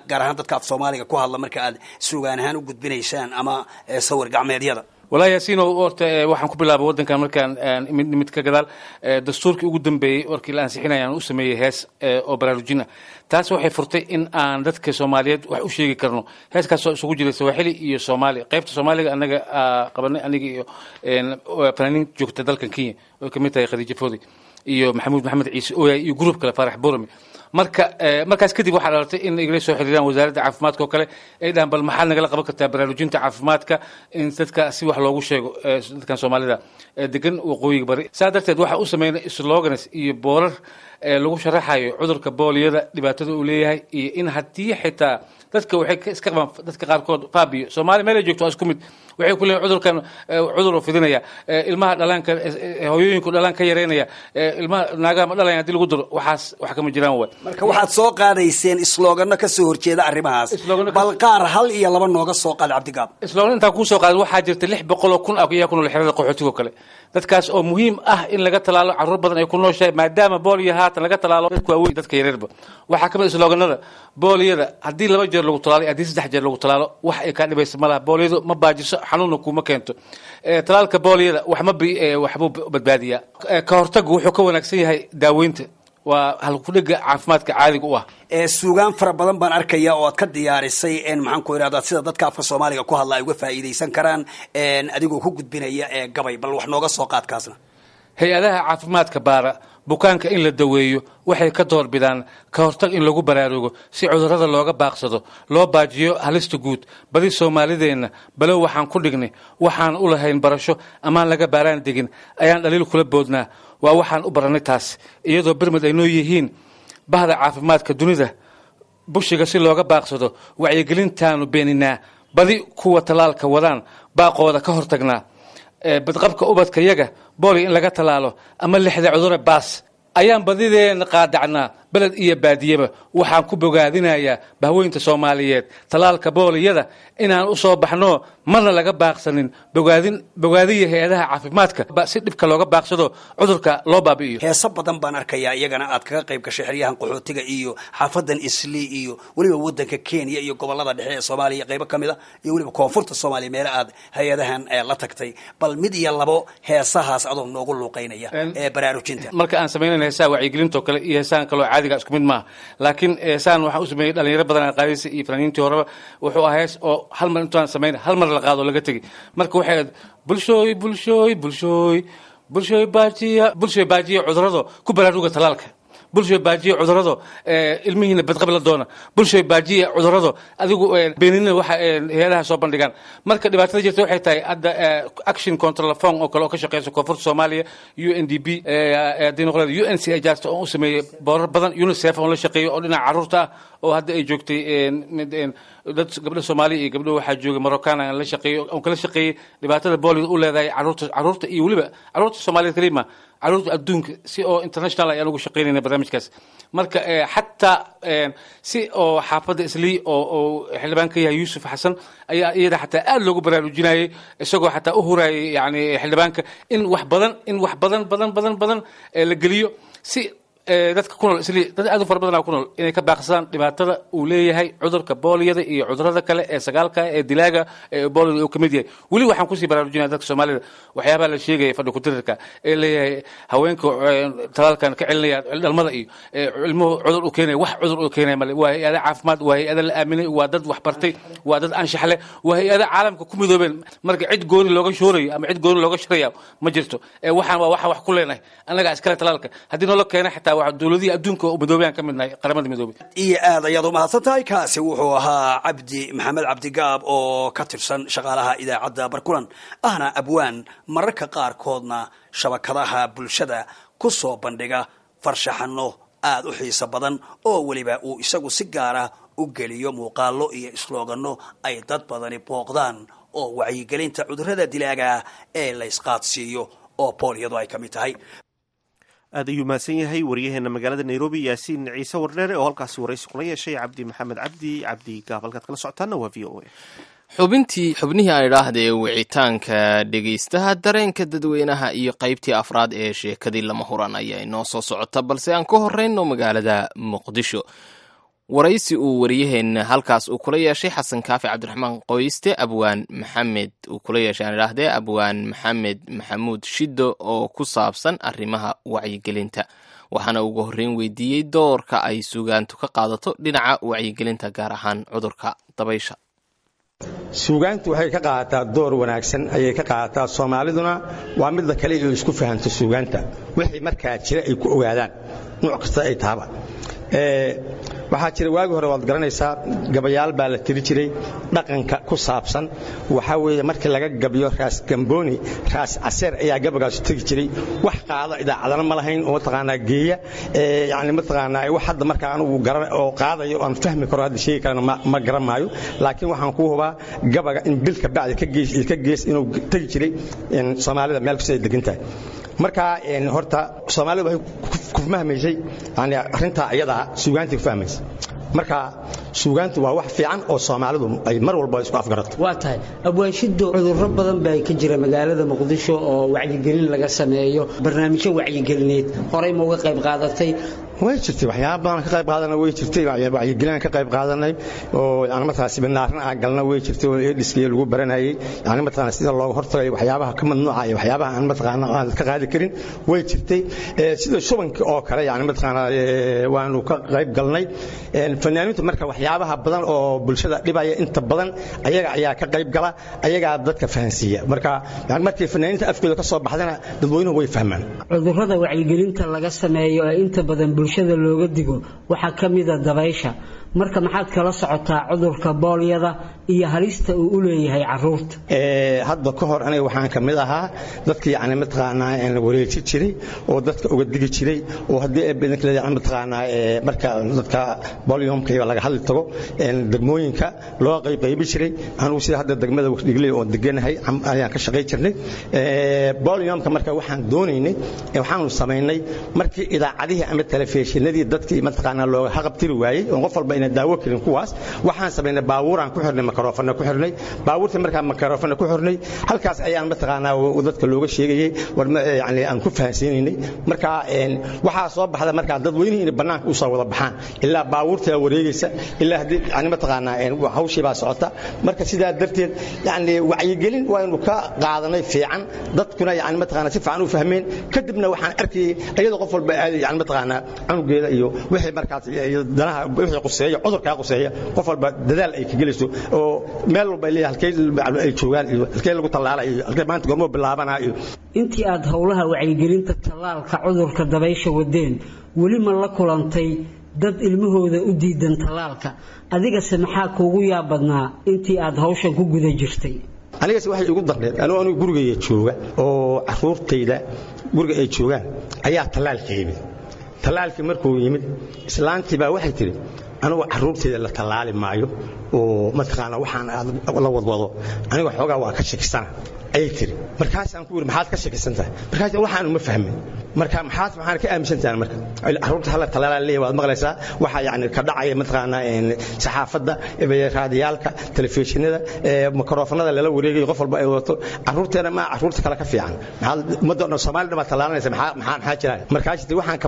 gaar ahaan dadka af Soomaaliga ku hadla, marka aad sugaan ahaan u gudbinaysaan ama sawir gacmeedyada? Walahi Yaasiinow, horta waxaan ku bilaabay waddankan markaan imid nimid ka gadaal, dastuurkii ugu dambeeyey warkii la ansixinaya aan u sameeyey hees oo baraarujin ah. Taas waxay furtay in aan dadka Soomaaliyeed wax u sheegi karno. Heeskaasoo isugu jiray Sawaaxili iyo Soomaali. Qaybta Soomaaliga anaga qabanay, aniga iyo fanaaniin joogta dalkan Kenya oo kamid tahay Khadiija Foodi iyo Maxamuud Maxamed Ciise Ooyay iyo gruub kale, Faarax Borame. Marka markaas kadib waxaa dhalatay in igala soo xiriiraan wasaaradda caafimaadka oo kale, ay dhahaan bal maxaad nagala qaban kartaa baraarujinta caafimaadka, in dadka si wax loogu sheego, dadkan Soomaalida degan waqooyiga bari. Saa darteed waxaa u sameynay slogans iyo boorar lagu sharaxayo cudurka booliyada, dhibaatada uu leeyahay, iyo in haddii xitaa dadka waxay iska qabaan, dadka qaarkood faabiyo Soomaali meel ay joogto waa isku mid, waxay ku leeyihin cudurkan cudur uu fidinaya, ilmaha dhalaanka, hooyooyinku dhalaan ka yareynaya, ilmaha naagaha ma dhalayaan haddii lagu daro. Waxaas wax kama jiraan waay. Marka waxaad soo qaadayseen islooganno ka soo horjeeda arrimahaas. Bal qaar hal iyo laba nooga soo qaad, Cabdigaab. Isloogan intaan kuu soo qaaday, waxaa jirta 600,000 ayaa ku nool xerada qaxootiga oo kale, dadkaas oo muhiim ah in laga talaalo. Carruur badan ay ku nooshahay, maadaama booliyo haatan laga talaalo dadka waaweyn, dadka yareerba. Waxaa ka mid islooganada: booliyada haddii 2 jeer lagu talaalo, haddii 3 jeer lagu talaalo, wax ay kaa dhibaysa ma laha. Booliyadu ma baajiso, xanuunna kuuma keento. Talaalka booliyada wax ma waxbuu badbaadiyaa. Ka hortagu wuxuu ka wanaagsan yahay daaweynta. Waa halkudhiga caafimaadka caadiga u ah. Suugaan fara badan baan arkaya oo aad ka diyaarisay, maxaan ku idhahdaa, sida dadka afka Soomaaliga ku hadla ay uga faa'iidaysan karaan, adigoo ku gudbinaya ee gabay. Bal wax nooga soo qaadkaasna. Hay-adaha caafimaadka baara bukaanka in la daweeyo waxay ka doorbidaan ka hortag in lagu baraarugo, si cudurrada looga baaqsado, loo baajiyo halista guud. Badi Soomaalideenna balow waxaan ku dhignay, waxaan u lahayn barasho amaan laga baaraan degin, ayaan dhaliil kula boodnaa. Waa waxaan u barannay taas, iyadoo birmid ay noo yihiin bahda caafimaadka dunida. Bushiga si looga baaqsado wacyigelintaanu beeninaa, badi kuwa tallaalka wadaan baaqooda ka hortagnaa. Badqabka ubadka yaga booli in laga tallaalo ama lixda cudure baas ayaan badideena qaadacnaa, beled iyo baadiyeba. Waxaan ku bogaadinayaa bahweynta Soomaaliyeed tallaalka booliyada inaan u soo baxno, marna laga baaqsanin. Bogaadin bogaadiya hay-adaha caafimaadka si dhibka looga baaqsado, cudurka loo baabi'iyo. Heeso badan baan arkayaa iyagana aad kaga qayb gashay xeryahan qaxootiga iyo xaafadan Islii iyo weliba wadanka Kenya iyo gobolada dhexe ee Soomaaliya qaybo ka mid a iyo weliba koonfurta Soomaaliya, meelo aad hay-adahan la tagtay. Bal mid iyo labo heesahaas adoo noogu luuqeynaya ee baraarujinta. Marka aan samaynayna heesaha wacyigelintoo kale iyo heesahan kaloo caadiga isku mid maaha, laakiin heesahan waxaan u sameeyey dhalinyaro badan aan qaadaysa iyo fanaaniintii horeba. Wuxuu ahaa hees oo hal mar intaan samayn hal mar la qaado laga tegi. Marka waxay ahayd: bulshooy, bulshooy, bulshooy, bulshooy baajiya, bulshooy baajiya cudurrado, ku baraaruga talaalka. Bulshooy baajiya cudurrado, ilmihiina badqab la doona. Bulshooy baajiya cudurrado, adigu beenina waxa hay-adaha soo bandhigaan. Marka dhibaatada jirta waxay tahay hadda Action Counter Phone oo kale oo ka shaqeysa koonfurta Soomaaliya, UNDP haddii noqon, UNC jaarta oo u sameeyey boorar badan, UNICEF oo la shaqeeyo oo dhinaca carruurta ah, oo hadda ay joogtay dad gabdho Soomaaliya iyo gabdho waxaa joogay Moroccan aan la shaqeeyo, oon kala shaqeeyey dhibaatada boolida u leedahay carruurta, carruurta iyo weliba carruurta Soomaaliyeed kalima, carruurta adduunka, si oo international ayaan ugu shaqeynayna barnaamijkaas. Marka xataa si oo xaafadda Islii oo xildhibaan ka yahay Yuusuf Xasan ayaa iyada xataa aad loogu baraarujinayay, isagoo xataa u hurayay yani xildhibaanka in wax badan, in wax badan badan badan badan la geliyo, si dadka ku nool Islii, dad aad u fara badan ku nool, inay ka baaqsadaan dhibaatada uu leeyahay cudurka booliyada iyo cudurada kale ee sagaalka ee dilaaga ee booliyada uu ka mid yahay. Weli waxaan kusii baraarujinaya dadka Soomaalida waxyaabaha la sheegaya fadhi ku-dirirka ee leeyahay haweenka talaalkan ka celinaya dhalmada iyo ilmuhu cudur u keenaya. Wax cudur u keenaya male. Waa hay-ada caafimaad, waa hay-ada la aaminay, waa dad wax bartay, waa dad anshax leh, waa hay-ada caalamka ku midoobeen. Marka cid gooni looga shoorayo ama cid gooni looga shiraya ma jirto. Waxaan waa waxaan wax ku leenahay annagaa iskale talaalka haddii noola keena, xitaa waa dowladihii adduunka oo midoobay ka mid nahay, Qaramada Midoobay. Iyo aad ayaad umahadsan tahay. Kaasi wuxuu ahaa Cabdi Maxamed Cabdigaab oo ka tirsan shaqaalaha idaacadda Barkulan, ahna abwaan mararka qaarkoodna shabakadaha bulshada ku soo bandhiga farshaxano aada u xiiso badan, oo weliba uu isagu si gaara u geliyo muuqaallo iyo islooganno ay dad badani booqdaan, oo wacyigelinta cudurrada dilaaga ee la isqaadsiiyo oo booliyadu ay ka mid tahay. Aad ayuu mahadsan yahay wariyaheena magaalada Nairobi, Yaasiin Ciise Wardheere, oo halkaasi waraysi kula yeeshay Cabdi Maxamed Cabdi, Cabdi Gaab. Halkaad kala socotaana waa VOA. Xubintii, xubnihii aan idhaahdee, wicitaanka dhegaystaha, dareenka dadweynaha iyo qaybtii afraad ee sheekadii lama huran ayaa inoo soo socota, balse aan ka horeyno magaalada Muqdisho. Waraysi uu wariyaheenna halkaas uu kula yeeshay Xasan Kaafi Cabdiraxmaan Qoyste abwaan Maxamed, uu kula yeeshay aan idhaahdee abwaan Maxamed Maxamuud Shiddo, oo ku saabsan arrimaha wacyigelinta, waxaana ugu horreyn weydiiyey doorka ay suugaantu ka qaadato dhinaca wacyigelinta, gaar ahaan cudurka dabaysha. Suugaantu waxay ka qaadataa door wanaagsan ayay ka qaadataa. Soomaaliduna waa midda kale ay isku fahanto suugaanta, wixii markaa jira ay ku ogaadaan nuuc kasta ay tahaba. Waxaa jira waagi hore, waad garanaysaa, gabayaal baa la tiri jiray dhaqanka ku saabsan. Waxaa weeye markii laga gabiyo Raas Gambooni, Raas Caseer ayaa gabagaasu tegi jiray. Wax qaada idaacadana ma lahayn oo mataqaanaa geeya, yacni mataqaanaa wax hadda markaa anugu garan oo qaadayo aan fahmi karo hadda sheegi karana ma garan maayo, laakiin waxaan kuu hubaa gabaga in bil ka bacdi ka gees iyo ka gees inuu tegi jiray Soomaalida meel kasta ay degan tahay. Marka horta Soomaalida waxay ku fahmaysay yani arrintaa iyadaa suugaantii ku fahmaysay. Marka suugaantu waa wax fiican oo Soomaalidu ay mar walba isku afgarato. Waa tahay abwaanshido, cudurro badan baa ka jira magaalada Muqdisho oo wacyigelin laga sameeyo. Barnaamijyo wacyigelineed horey ma uga qayb qaadatay? Way jirtay, waxyaaba badan ka qayb qaadanay way jirtay. Wacyigelin ka qayb qaadanay oo yani markaas siminaarna aan galna way jirtay, oo AIDS-kii lagu baranayay, yani mataqaana sida looga hortagayo waxyaabaha ka mamnuuca iyo waxyaabaha aan mataqaana aan ka qaadi karin way jirtay. Sida shubanka oo kale, yani mataqaana waanu ka qayb galnay. Fanaaniintu marka waxyaabaha badan oo bulshada dhibaya inta badan ayaga ayaa ka qayb gala, ayagaa dadka fahansiiya. Marka yani markii fanaaniinta afkooda ka soo baxdana dadweynuhu way fahmaan. Cudurrada wacyigelinta laga sameeyo ee inta badan bulshada looga digo waxaa ka mida dabaysha. Marka maxaad kala socotaa cudurka boolyada iyo halista uu u leeyahay caruurta? Hadda ka hor aniga waxaan ka mid ahaa dadkii yani mataqaanaa la wareeji jiray oo dadka uga digi jiray, oo haddii ay badanka leeyahay mataqaanaa marka dadka bolyomka iyo laga hadli tago degmooyinka loo qaybqaybi jiray. Anugu sida hadda degmada Dhigley oo deganahay ayaan ka shaqay jirnay bolyomka. Marka waxaan doonaynay, waxaanu samaynay markii idaacadihii ama telefishinadii dadkii mataqaanaa looga haqabtiri waayey oo qof walba ina daawo karin kuwaas, waxaan samaynay baabuuraan ku xirnay, makaroofana ku xirnay baabuurtii. Markaan makaroofana ku xirnay, halkaas ayaan mataqaanaa dadka looga sheegayey, war yani aan ku fahansiinaynay. Marka waxaa soo baxda markaa dadweynihii inay bannaanka u soo wada baxaan, ilaa baabuurtaa wareegaysa, ilaa haddii yani mataqaanaa hawshii baa socota. Marka sidaa darteed yani wacyigelin waaynu ka qaadanay fiican, dadkuna yani mataqaanaa si fiican u fahmeen. Kadibna waxaan arkayay iyadoo qof walba aaday yani mataqaanaa cunugeeda iyo wixii markaas iyo danaha wixii quseeya, cudurkaa quseeya, qof walba dadaal ay ka gelayso oo meel walba ay leeyahay halkee ay joogaan iyo halkee lagu tallaalayo iyo halkee maanta goormoo bilaabanaa iyo. Intii aad howlaha wacyigelinta tallaalka cudurka dabaysha wadeen, weli ma la kulantay dad ilmahooda u diidan tallaalka? Adigase maxaa kuugu yaab badnaa intii aad hawshan ku guda jirtay? Anigase waxay igu darneed anigu gurigayga jooga oo caruurtayda guriga ay joogaan ayaa tallaalka yimid. Tallaalkii markuu yimid, islaantii baa waxay tidhi, anigu caruurtayda la tallaali maayo oo mataqaana waxaan aad la wadwado aniga xoogaa waa ka shakisana, ayay tiri. Markaasaan ku yidhi, maxaad ka shakisan tahay? Markaas waxaanu ma fahmin. Marka maxaad maxaan ka aaminsan tahay? Marka caruurta hala talaalaa leeyahay waad maqlaysaa waxa yani ka dhacaya mataqaanaa saxaafadda, raadiyaalka, telefishinada, mikrofonada lala wareegayo, qof walba ay wadato caruurteena ma caruurta kale ka fiican? Maxaad ummadda dhan Soomaali dhan baa talaalanaysa, maxaa maxaa maxaa jira? Markaas tiri, waxaan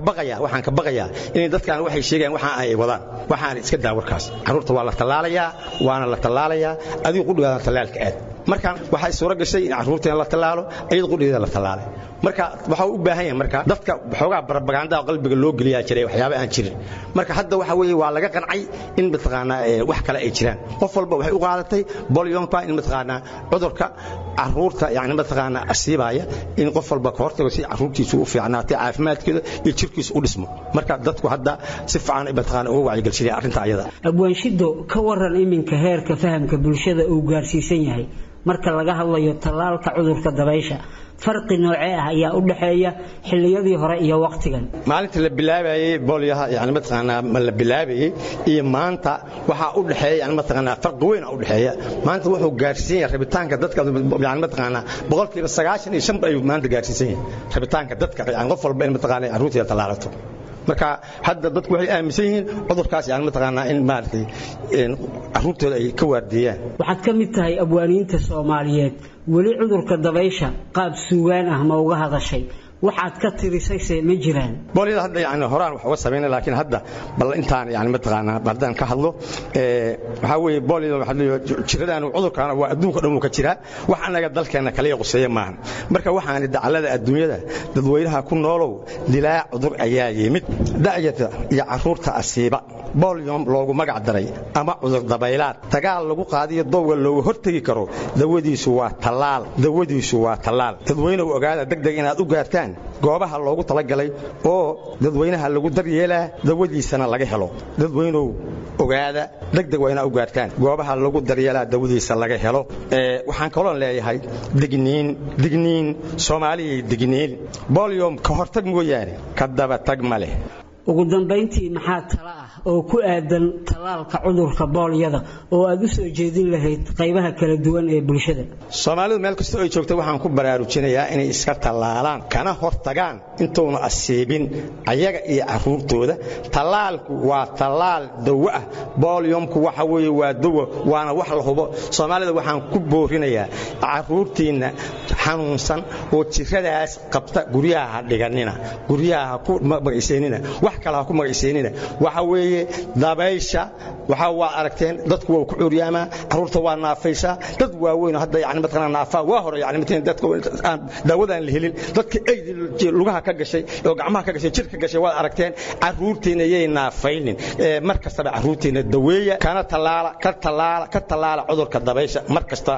ka baqayaa inay dadkan waxay sheegayaan waxaan ay wadaan, waxaan iska daa warkaas, caruurta waa la tallaalayaa, waana la tallaalayaa, adigu qudhigaada tallaalka aad. Marka waxay suura gashay in caruurteena la tallaalo, iyada qudhigeeda la tallaalay. Marka waxa uu u baahan yahay marka dadka xoogaa barabagaandaa qalbiga loo geliyaa jiray waxyaabo aan jirin. Marka hadda waxa weeye waa laga qancay in mataqaanaa wax kale ay jiraan. Qof walba waxay u qaadatay bolyonka in mataqaanaa cudurka caruurta yani mataqaanaa asiibaya in qof walba ka hortago si caruurtiisu u fiicnaatay, caafimaadkeeda iyo jirkiisu u dhismo. Marka dadku hadda si fiican ay mataqaanaa uga wacyigelsanayaan arrinta ayada. Abwaanshido, ka waran iminka heerka fahamka bulshada uu gaarsiisan yahay marka laga hadlayo tallaalka cudurka dabaysha? Farqi noocee ah ayaa u dhexeeya xilliyadii hore iyo waqtigan? Maalinta la bilaabayay boolyaha yani mataqaanaa ma la bilaabayay iyo maanta waxaa u dhexeeya yani mataqaanaa farqi weyn u dhexeeya. Maanta wuxuu gaarsiisan yahay rabitaanka dadka yani mataqaanaa 95% ayuu maanta gaarsiisan yahay rabitaanka dadka, yani qof walba in mataqaanaa carruurteeda tallaalato. Marka hadda dadku waxay aaminsan yihiin cudurkaas yani mataqaanaa in maaragtay carruurtooda ay ka waardiiyaan. Waxaad ka mid tahay abwaaniinta Soomaaliyeed. Weli cudurka dabaysha qaab suugaan ah ma uga hadashay? Waxaad ka tirisayse ma jiraan? Boolyada hadda yani horaan wax uga samaynay, laakiin hadda bal intaan yani mataqaanaa haddaan ka hadlo, waxaa weeye boolyada waxaa leeyahay jiradaan cudurkaan waa adduunka dhan uu ka jiraa, wax annaga dalkeenna kaliya quseeya maahan. Marka waxaan dacallada adduunyada dadweynaha ku noolow, dilaa cudur ayaa yimid da'yarta iyo carruurta asiiba, bolyom loogu magac daray ama cudur dabaylaad, dagaal lagu qaadiyo dowga looga hortegi karo, dawadiisu waa tallaal, dawadiisu waa tallaal. Dadweynuhu ogaada degdeg inaad u gaartaan goobaha loogu talagalay oo dadweynaha lagu daryeelaa, dawadiisana laga helo. Dadweynuhu ogaada degdeg waa inaad u gaartaan goobaha lagu daryeelaa, dawadiisa laga helo. Waxaan kaloon leeyahay digniin, digniin Soomaaliyay, digniin, bolyom ka hortag mooyaane ka daba tag ma leh. Ugu dambayntii, maxaa tala ah oo ku aadan tallaalka cudurka boolyada oo aad u soo jeedin lahayd qaybaha kala duwan ee bulshada? Soomaalidu meel kasta ay joogta waxaan ku baraarujinayaa inay iska tallaalaan kana hortagaan intuuna asiibin ayaga iyo carruurtooda. Tallaalku waa tallaal dawo ah. Boolyomku waxa weeye waa dawo, waana wax la hubo. Soomaalida waxaan ku boorinayaa, carruurtiinna xanuunsan oo jiradaas qabta guryaha ha dhiganina, guryaha ha ku magacaysaynina, wax kale ha ku magacaysaynina. Waxa weeye dabaysha waxa waa aragteen, dadku waa ku curyaamaa, carruurta waa naafaysaa, dad waaweyn hadda yani mataqaanaa naafaa waa hore, yani mataqaanaa dadka aan daawadaan la helin, dadka ay lugaha ka gashay oo gacmaha ka gashay, jirka gashay waad aragteen. Carruurtiina yay naafaynin. Mar kastaba carruurtiina daweeya, kana tallaala, ka tallaala, ka tallaala cudurka dabaysha mar kasta.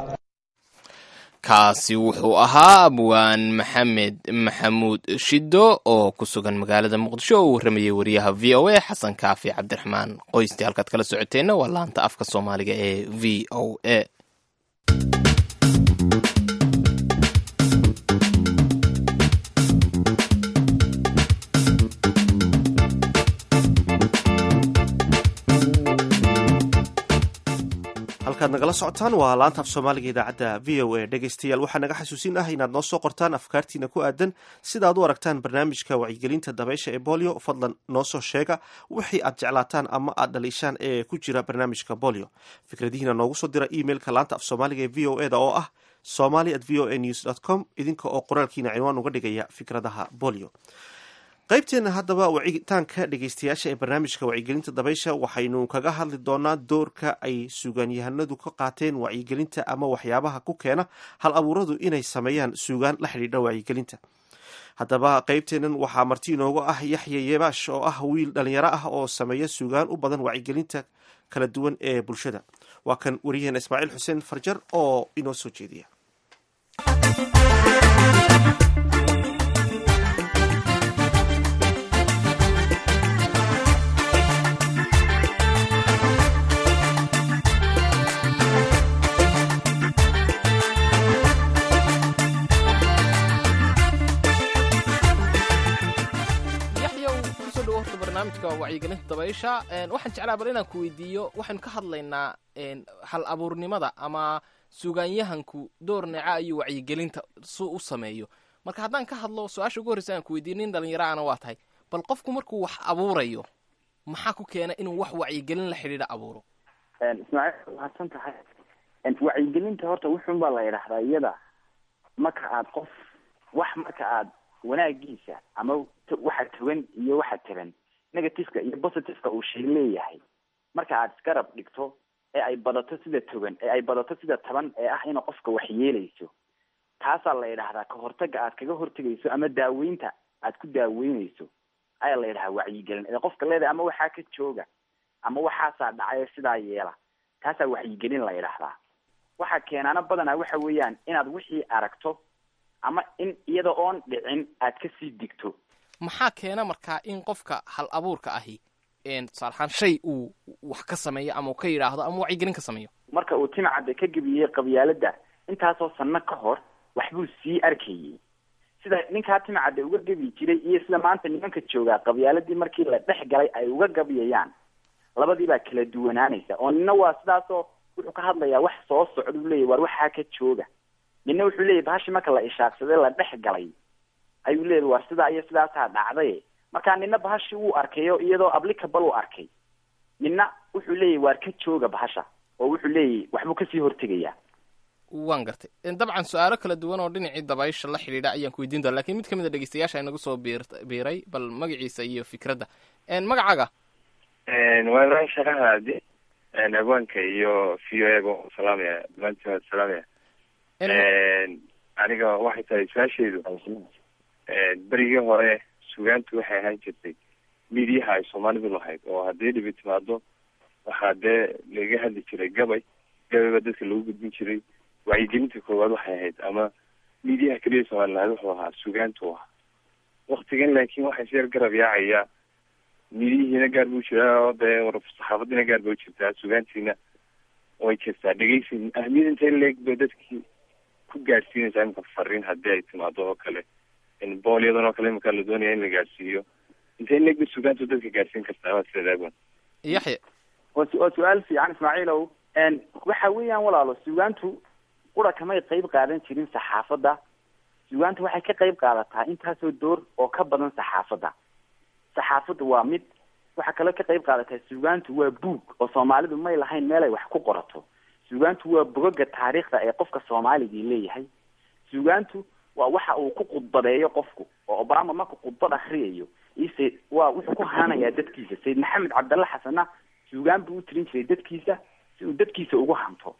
Kaasi wuxuu ahaa Abwaan Maxamed Maxamuud Shido oo ku sugan magaalada Muqdisho oo u warramayay wariyaha VOA Xasan Kaafi Cabdiraxmaan Qoysti. Halkaad kala socoteenna waa laanta afka Soomaaliga ee VOA. Halkaad nagala socotaan waa laanta af Soomaaliga idaacadda VOA. Dhegaystayaal, waxaa naga xasuusin ah inaad noo soo qortaan afkaartiina ku aadan sida aad u aragtaan barnaamijka wacyigelinta dabaysha ee bolio. Fadlan noo soo sheega wixii aad jeclaataan ama aad dhaliishaan ee ku jira barnaamijka bolio. Fikradihiina noogu soo dira emailka laanta af Soomaaliga ee VOA da oo ah somali@voanews.com, idinka oo qoraalkiina cinwaan uga dhigaya fikradaha bolio. Qaybteena haddaba wacitaanka dhegeystayaasha ee barnaamijka wacyigelinta dabaysha waxaynu kaga hadli doonaa doorka ay suugaanyahanadu ka qaateen wacyigelinta ama waxyaabaha ku keena hal abuuradu inay sameeyaan suugaan la xidhiidha wacyigelinta. Haddaba qaybteennan waxaa marti inoogu ah Yaxya Yebaash oo ah wiil dhalinyaro ah oo sameeya suugaan u badan wacyigelinta kala duwan ee bulshada. Waa kan wariyaheena Ismaaciil Xuseen Farjar oo inoo soo jeediya. Yaxyow, kusoo dhawo horta barnaamijka wacyigelinta dabaysha. Waxaan jeclaa bal inaan ku weydiiyo, waxaynu ka hadlaynaa hal abuurnimada ama suugaanyahanku door neeca ayuu wacyigelinta su u sameeyo. Marka haddaan ka hadlo su-aasha ugu horreysa aan ku weydiiyo, nin dhalinyaro ana waa tahay, bal qofku markuu wax abuurayo maxaa ku keena inuu wax wacyigelin la xidhiidha abuuro? Ismaaciil, mahadsan tahay. Wacyigelinta horta wuxuun baa la yidhaahdaa iyada marka aad qof wax, marka aad wanaagiisa ama waxa togan iyo waxa taban, negativeka iyo positiveka uu shay leeyahay, marka aad isgarab dhigto ee ay badato sida togan ee ay badato sida taban ee ah inuu qofka wax yeelayso, taasaa la yidhaahdaa ka hortaga aad kaga hortegayso ama daaweynta aad ku daaweynayso ayaa la yidhahaa wacyigelin. Ee qofka leedahay ama waxaa ka jooga ama waxaasaa dhacay sidaa yeela, taasaa wacyigelin la yidhaahdaa. Waxaa keenaana badanaa waxa weeyaan inaad wixii aragto ama in iyada oon dhicin aad kasii digto. Maxaa keena markaa in qofka hal abuurka ahi tusaale ahaan shay uu wax ka sameeyo ama uu ka yidhaahdo ama wacyigelin ka sameeyo? Marka uu Timcadde ka gebiyey qabyaaladda intaasoo sanno ka hor, waxbuu sii arkayey. Sida ninkaa Timcadde uga gebi jiray iyo sida maanta nimanka joogaa qabyaaladii markii la dhex galay ay uga gabyayaan, labadii baa kala duwanaanaysa. Oo nina waa sidaasoo wuxuu ka hadlayaa wax soo socda, uu leeyahy waar waxaa ka jooga. Nina wuxuu leeyahy bahashi marka la ishaaqsaday la dhex galay ayuu leeyahy waar sidaa iyo sidaasaa dhacday. Marka nina bahashi wuu arkayo iyadoo applicable uu arkay, nina wuxuu leeyahy waar ka jooga bahasha, oo wuxuu leeyahy waxbuu kasii hortegayaa. Waan gartay. Dabcan su-aalo kala duwan oo dhinacii dabaysha la xidhiidha ayaan ku weydiin doona, lakin mid ka mid a dhegeystayaasha inagu soo biiray, bal magaciisa iyo fikradda. Magacaaga? Waa Ibraahim Sheekh Cabdi. Abwaanka iyo VOA ba salaamaya, dhammaantiin waa salaamaya. Aniga waxay tahay su-aasheedu, berigii hore sugaantu waxay ahaan jirtay midiyaha ay soomaalidu lahayd, oo haddii dhibi timaado waxaa dee laga hadli jiray gabay, gabay baa dadka lagu gudbin jiray. Wacyigelinta koowaad waxay ahayd ama midiyaha keliya soomaali lahayd wuxuu ahaa sugaantu ahaa waktigan. Laakiin waxaa is yar garab yaacaya, midiyihiina gaar buu jiraa oo dee saxaafadiina gaar bay u jirtaa, sugaantiina way jirtaa. Dhegeysi ahmiyad intay leeg bay dadkii ku gaadhsiinaysaa imika fariin haddii ay timaado oo kale, in boolyadan oo kale imika la doonaya in la gaadhsiiyo Intee in leeg suugaantu dadka gaarsiin kartaa waad sideed abwan? Yaxya. Waa su-aal fiican, Ismaaciilow. Waxa weeyaan walaalo, suugaantu qura kamay qayb qaadan jirin saxaafadda. Suugaantu waxay ka qayb qaadataa intaasoo door oo ka badan saxaafadda. Saxaafaddu waa mid, waxaa kaloo ka qayb qaadataa suugaantu waa buug, oo Soomaalidu may lahayn meel ay wax ku qorato. Suugaantu waa bogoga taariikhda ee qofka Soomaaligii leeyahay. Suugaantu waa waxa uu ku khudbadeeyo qofku, oo Obama markuu khudbad akriyayo ise waa wuxuu ku hananayaa dadkiisa. Sayid Maxamed Cabdalle Xasanna suugaan buu u tirin jiray dadkiisa si uu dadkiisa ugu hanto.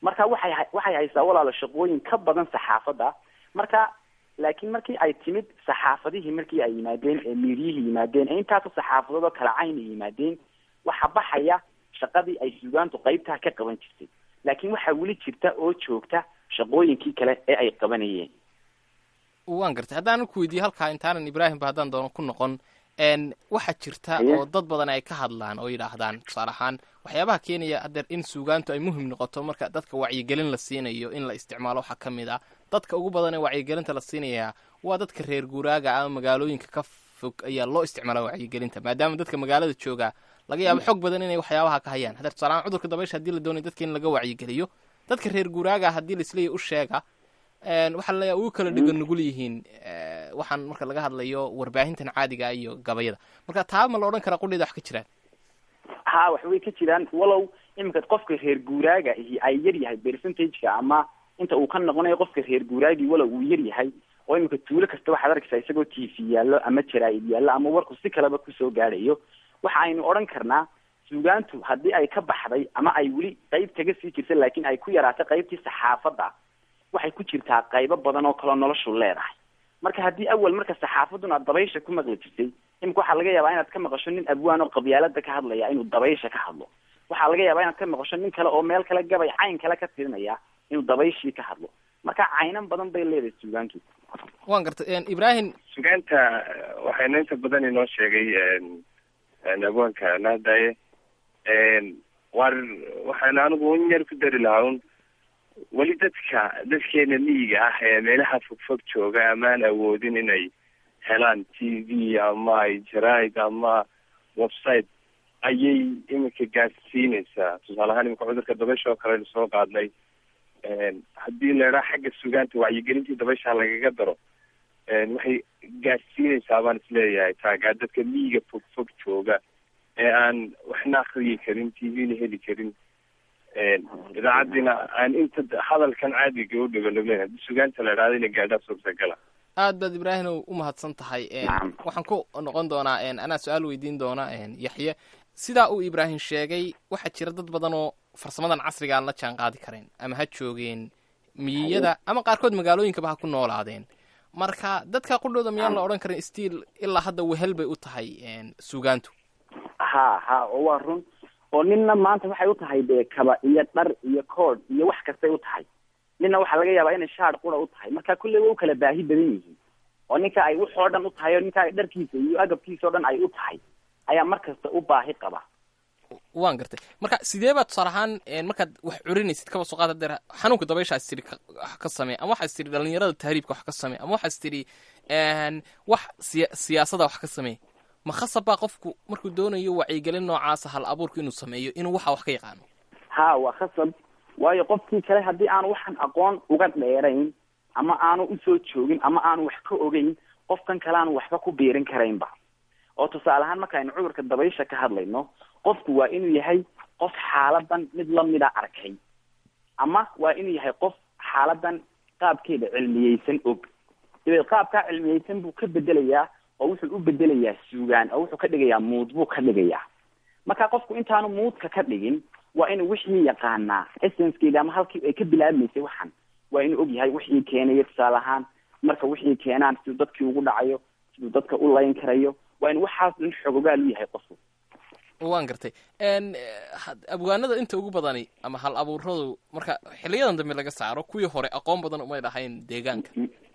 Marka waxay haysaa walaalo shaqooyin ka badan saxaafadda. Marka laakiin markii ay timid saxaafadihii, markii ay yimaadeen ee miiryihii yimaadeen ee intaasoo saxaafadood oo kala cayn ay yimaadeen, waxa baxaya shaqadii ay suugaantu qaybtaa ka qaban jirtay, laakiin waxaa weli jirta oo joogta shaqooyinkii kale ee ay qabanayeen. Waan gartay. Haddaanan ku weydiiyo halkaa intaanan Ibraahimba haddaan doono ku noqon, waxaa jirta oo dad badan ay ka hadlaan oo yidhaahdaan, tusaale ahaan, waxyaabaha keenaya haddeer in suugaantu ay muhim noqoto marka dadka wacyigelin la siinayo in la isticmaalo, waxaa ka mid ah dadka ugu badan ee wacyigelinta la siinayaa waa dadka reer guuraaga ama magaalooyinka ka fog ayaa loo isticmaala wacyigelinta, maadaama dadka magaalada jooga laga yaabo xog badan inay waxyaabaha ka hayaan. Haddeer tusaale ahaan cudurka dabaysha haddii la doonayo dadka in laga wacyigeliyo, dadka reer guuraaga haddii laisleeyahy u sheega, waxaa laleeyahay ugu kala dhigan nugul yihiin waxaan marka laga hadlayo warbaahintan caadiga iyo gabayada. Marka taa ma la odhan karaa qudheeda wax ka jiraan? Ha, wax way ka jiraan, walow iminka qofka reer guuraaga ihi ay yar yahay percentage-ka ama inta uu ka noqonayo qofka reer guuraagii, walow uu yar yahay, oo iminka tuulo kasta waxaad arkaysaa isagoo TV yaallo ama jaraa'id yaallo ama warku si kaleba kusoo gaadhayo. Waxa aynu odhan karnaa suugaantu haddii ay ka baxday ama ay weli qayb kaga sii jirta laakiin ay ku yaraatay qaybtii saxaafadda, waxay ku jirtaa qaybo badan oo kaloo noloshu leedahay. Marka haddii awal marka saxaafadduna aad dabaysha ku maqli jirtay, imika waxaa laga yaabaa inaad ka maqasho nin abwaan oo qabyaalada ka hadlaya inuu dabaysha ka hadlo. Waxaa laga yaabaa inaad ka maqasho nin kale oo meel kale gabay cayn kale ka tirinaya inuu dabayshii ka hadlo. Marka caynan badan bay leedahay suugaantu. Waan gartay, Ibrahim. Sugaanta waxayna inta badan inoo sheegay abwaanka nahdaye war. Waxaan anigu in yar ku dari lahaa un weli dadka dadkeena miyiga ah ee meelaha fogfog jooga amaan awoodin inay helaan TV ama ay jaraa'id ama website ayay iminka gaarsiinaysaa. Tusaale ahaan iminka cudurka dabaysha oo kale aynu soo qaadnay, haddii la idhaa xagga sugaanta wacyigelintii dabaysha lagaga daro, waxay gaarsiinaysaa baan isleeyahay taagaa dadka miyiga fogfog jooga ee aan waxna akriyi karin, TV-na heli karin, idaacaddiina aan inta hadalkan caadiga u dhigo nugleyn, haddii sugaanta la idhahdo inay gaadhaa suurtagala. Aad baad, Ibraahimow, u mahadsan tahay. Waxaan ku noqon doonaa, anaa su-aal weydiin doona Yaxye. Sidaa uu Ibraahim sheegay, waxaa jira dad badan oo farsamadan casriga aan la jaan qaadi karayn, ama ha joogeen miyiyada ama qaarkood magaalooyinkaba ha ku noolaadeen. Marka dadka qudhooda miyaan la odhan karin still ilaa hadda wehel bay u tahay suugaantu? Ha ha, oo waa run, oo ninna maanta waxay u tahay dee kaba iyo dhar iyo koodh iyo wax kastay u tahay, ninna waxaa laga yaabaa inay shaar qura u tahay. Marka kulley way u kala baahi badan yihiin, oo ninka ay waxoo dhan u tahay oo ninka ay dharkiisa iyo agabkiisa o dhan ay u tahay ayaa mar kasta u baahi qaba. Waan gartay. Marka sidee baa tusaale ahaan markaad wax curinaysid, kaba soo qaad hadeer xanuunka dabaysha is tidhi wax ka samee, ama waxaas tidhi dhalinyarada tahriibka wax ka samee, ama waxaas tidhi wax siyaasada wax ka samee, ma khasab baa qofku markuu doonayo wacyigelin noocaasa hal abuurku inuu sameeyo inuu waxa wax ka yaqaano? Ha, waa khasab, waayo qofkii kale haddii aanu waxan aqoon uga dheerayn ama aanu usoo joogin ama aanu wax ka ogeyn, qofkan kale aanu waxba ku biirin karaynba. Oo tusaale ahaan markaaynu cudurka dabaysha ka hadlayno, qofku waa inuu yahay qof xaaladan mid lamida arkay, ama waa inuu yahay qof xaaladan qaabkeeda cilmiyeysan og. Dabeed qaabkaa cilmiyeysan buu ka bedelayaa, oo wuxuu u bedelayaa suugaan, oo wuxuu ka dhigayaa muud buu ka dhigayaa. Marka qofku intaanu muudka ka dhigin waa inuu wixii yaqaanaa, essencekeeda ama halkii ay ka bilaabmaysay waxan waa inuu og yahay, wixii keenaya tusaale ahaan, marka wixii keenaan siduu dadkii ugu dhacayo, siduu dadka u layn karayo, waa in waxaas dhan xogogaal u yahay qofku. Waan gartay. Abwaanada inta ugu badani ama hal abuuradu marka xiliyadan dambe laga saaro, kuwii hore aqoon badan umay lahayn deegaanka.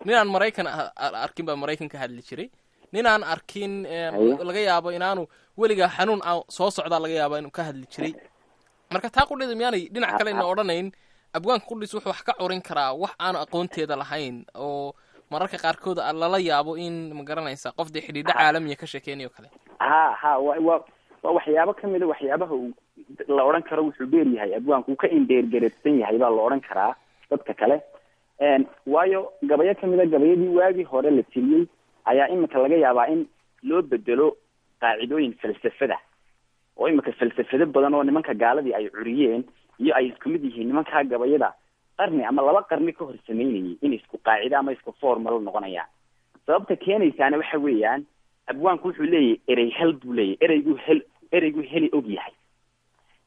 Nin aan Maraykan arkin baa Maraykan ka hadli jiray. Nin aan arkin, laga yaabo inaanu weligaa xanuun soo socdaa laga yaaba inuu ka hadli jiray. Marka taa qudheeda miyaanay dhinac kale ina odhanayn abwaanka qudhiis wuxuu wax ka curin karaa wax aanu aqoonteeda lahayn oo Mararka qaarkood lala yaabo in, ma garanaysa, qof dee xidhiidho caalamiya ka sheekeynayo kale. Ha ha, waa waxyaabo kamida waxyaabaha uu la odhan karo wuxuu dheer yahay abwaanku, uu ka indheergareedsan yahay baa la odhan karaa dadka kale. Waayo gabayo kamida gabayadii waagii hore la tiriyey ayaa imika laga yaabaa in loo bedelo qaacidooyin falsafada, oo imika falsafado badan oo nimanka gaaladii ay curiyeen iyo ay isku mid yihiin nimankaa gabayada qarni ama 2 qarni ka hor sameynayay, in isku qaacide ama isku formal noqonayaan. Sababta keenaysaana waxa weeyaan, abwaanku wuxuu leeyahay erey hel buu leeyahay, ereyguu hel, ereyguu heli og yahay.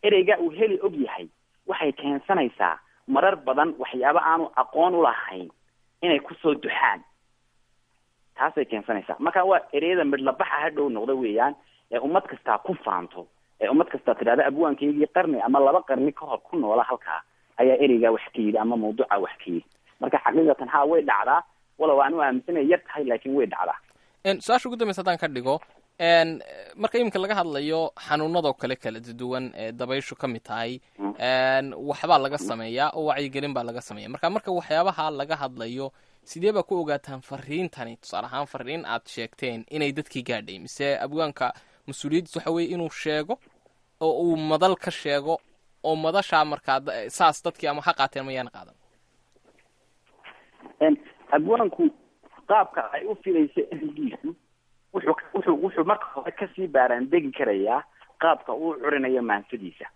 Ereyga uu heli og yahay waxay keensanaysaa marar badan waxyaabo aanu aqoon ulahayn inay kusoo duxaan, taasay keensanaysaa. Marka waa ereyada midhlabaxa hadhow noqda weeyaan, ee ummad kastaa ku faanto, ee ummad kastaa tidhahda abwaankaygii qarni ama 2 qarni ka hor ku noola halkaa ayaa ereygaa wax ka yidhi ama mawduuca wax ka yidhi. Marka xaqiiqatan haa, way dhacdaa, walow aan u aaminsanay yar tahay, laakiin way dhacdaa. Su-aasha ugu dambeysa haddaan ka dhigo, marka iminka laga hadlayo xanuunadoo kale kala duwan ee dabayshu ka mid tahay, waxbaa laga sameeyaa oo wacyigelin baa laga sameeya. Marka waxyaabaha laga hadlayo, sidee baa ku ogaataan fariintani, tusaale ahaan fariin aad sheegteen inay dadkii gaadhay? Mise abwaanka mas-uuliyaddiis waxa weye inuu sheego oo uu madal ka sheego, oo madashaa markaa saas dadkii ama ha qaateen mayaan qaadan? Abwaanku qaabka ay u filayso ereygiisu wuxuu marka hore kasii baaraandegi karayaa qaabka uu curinayo maansadiisa.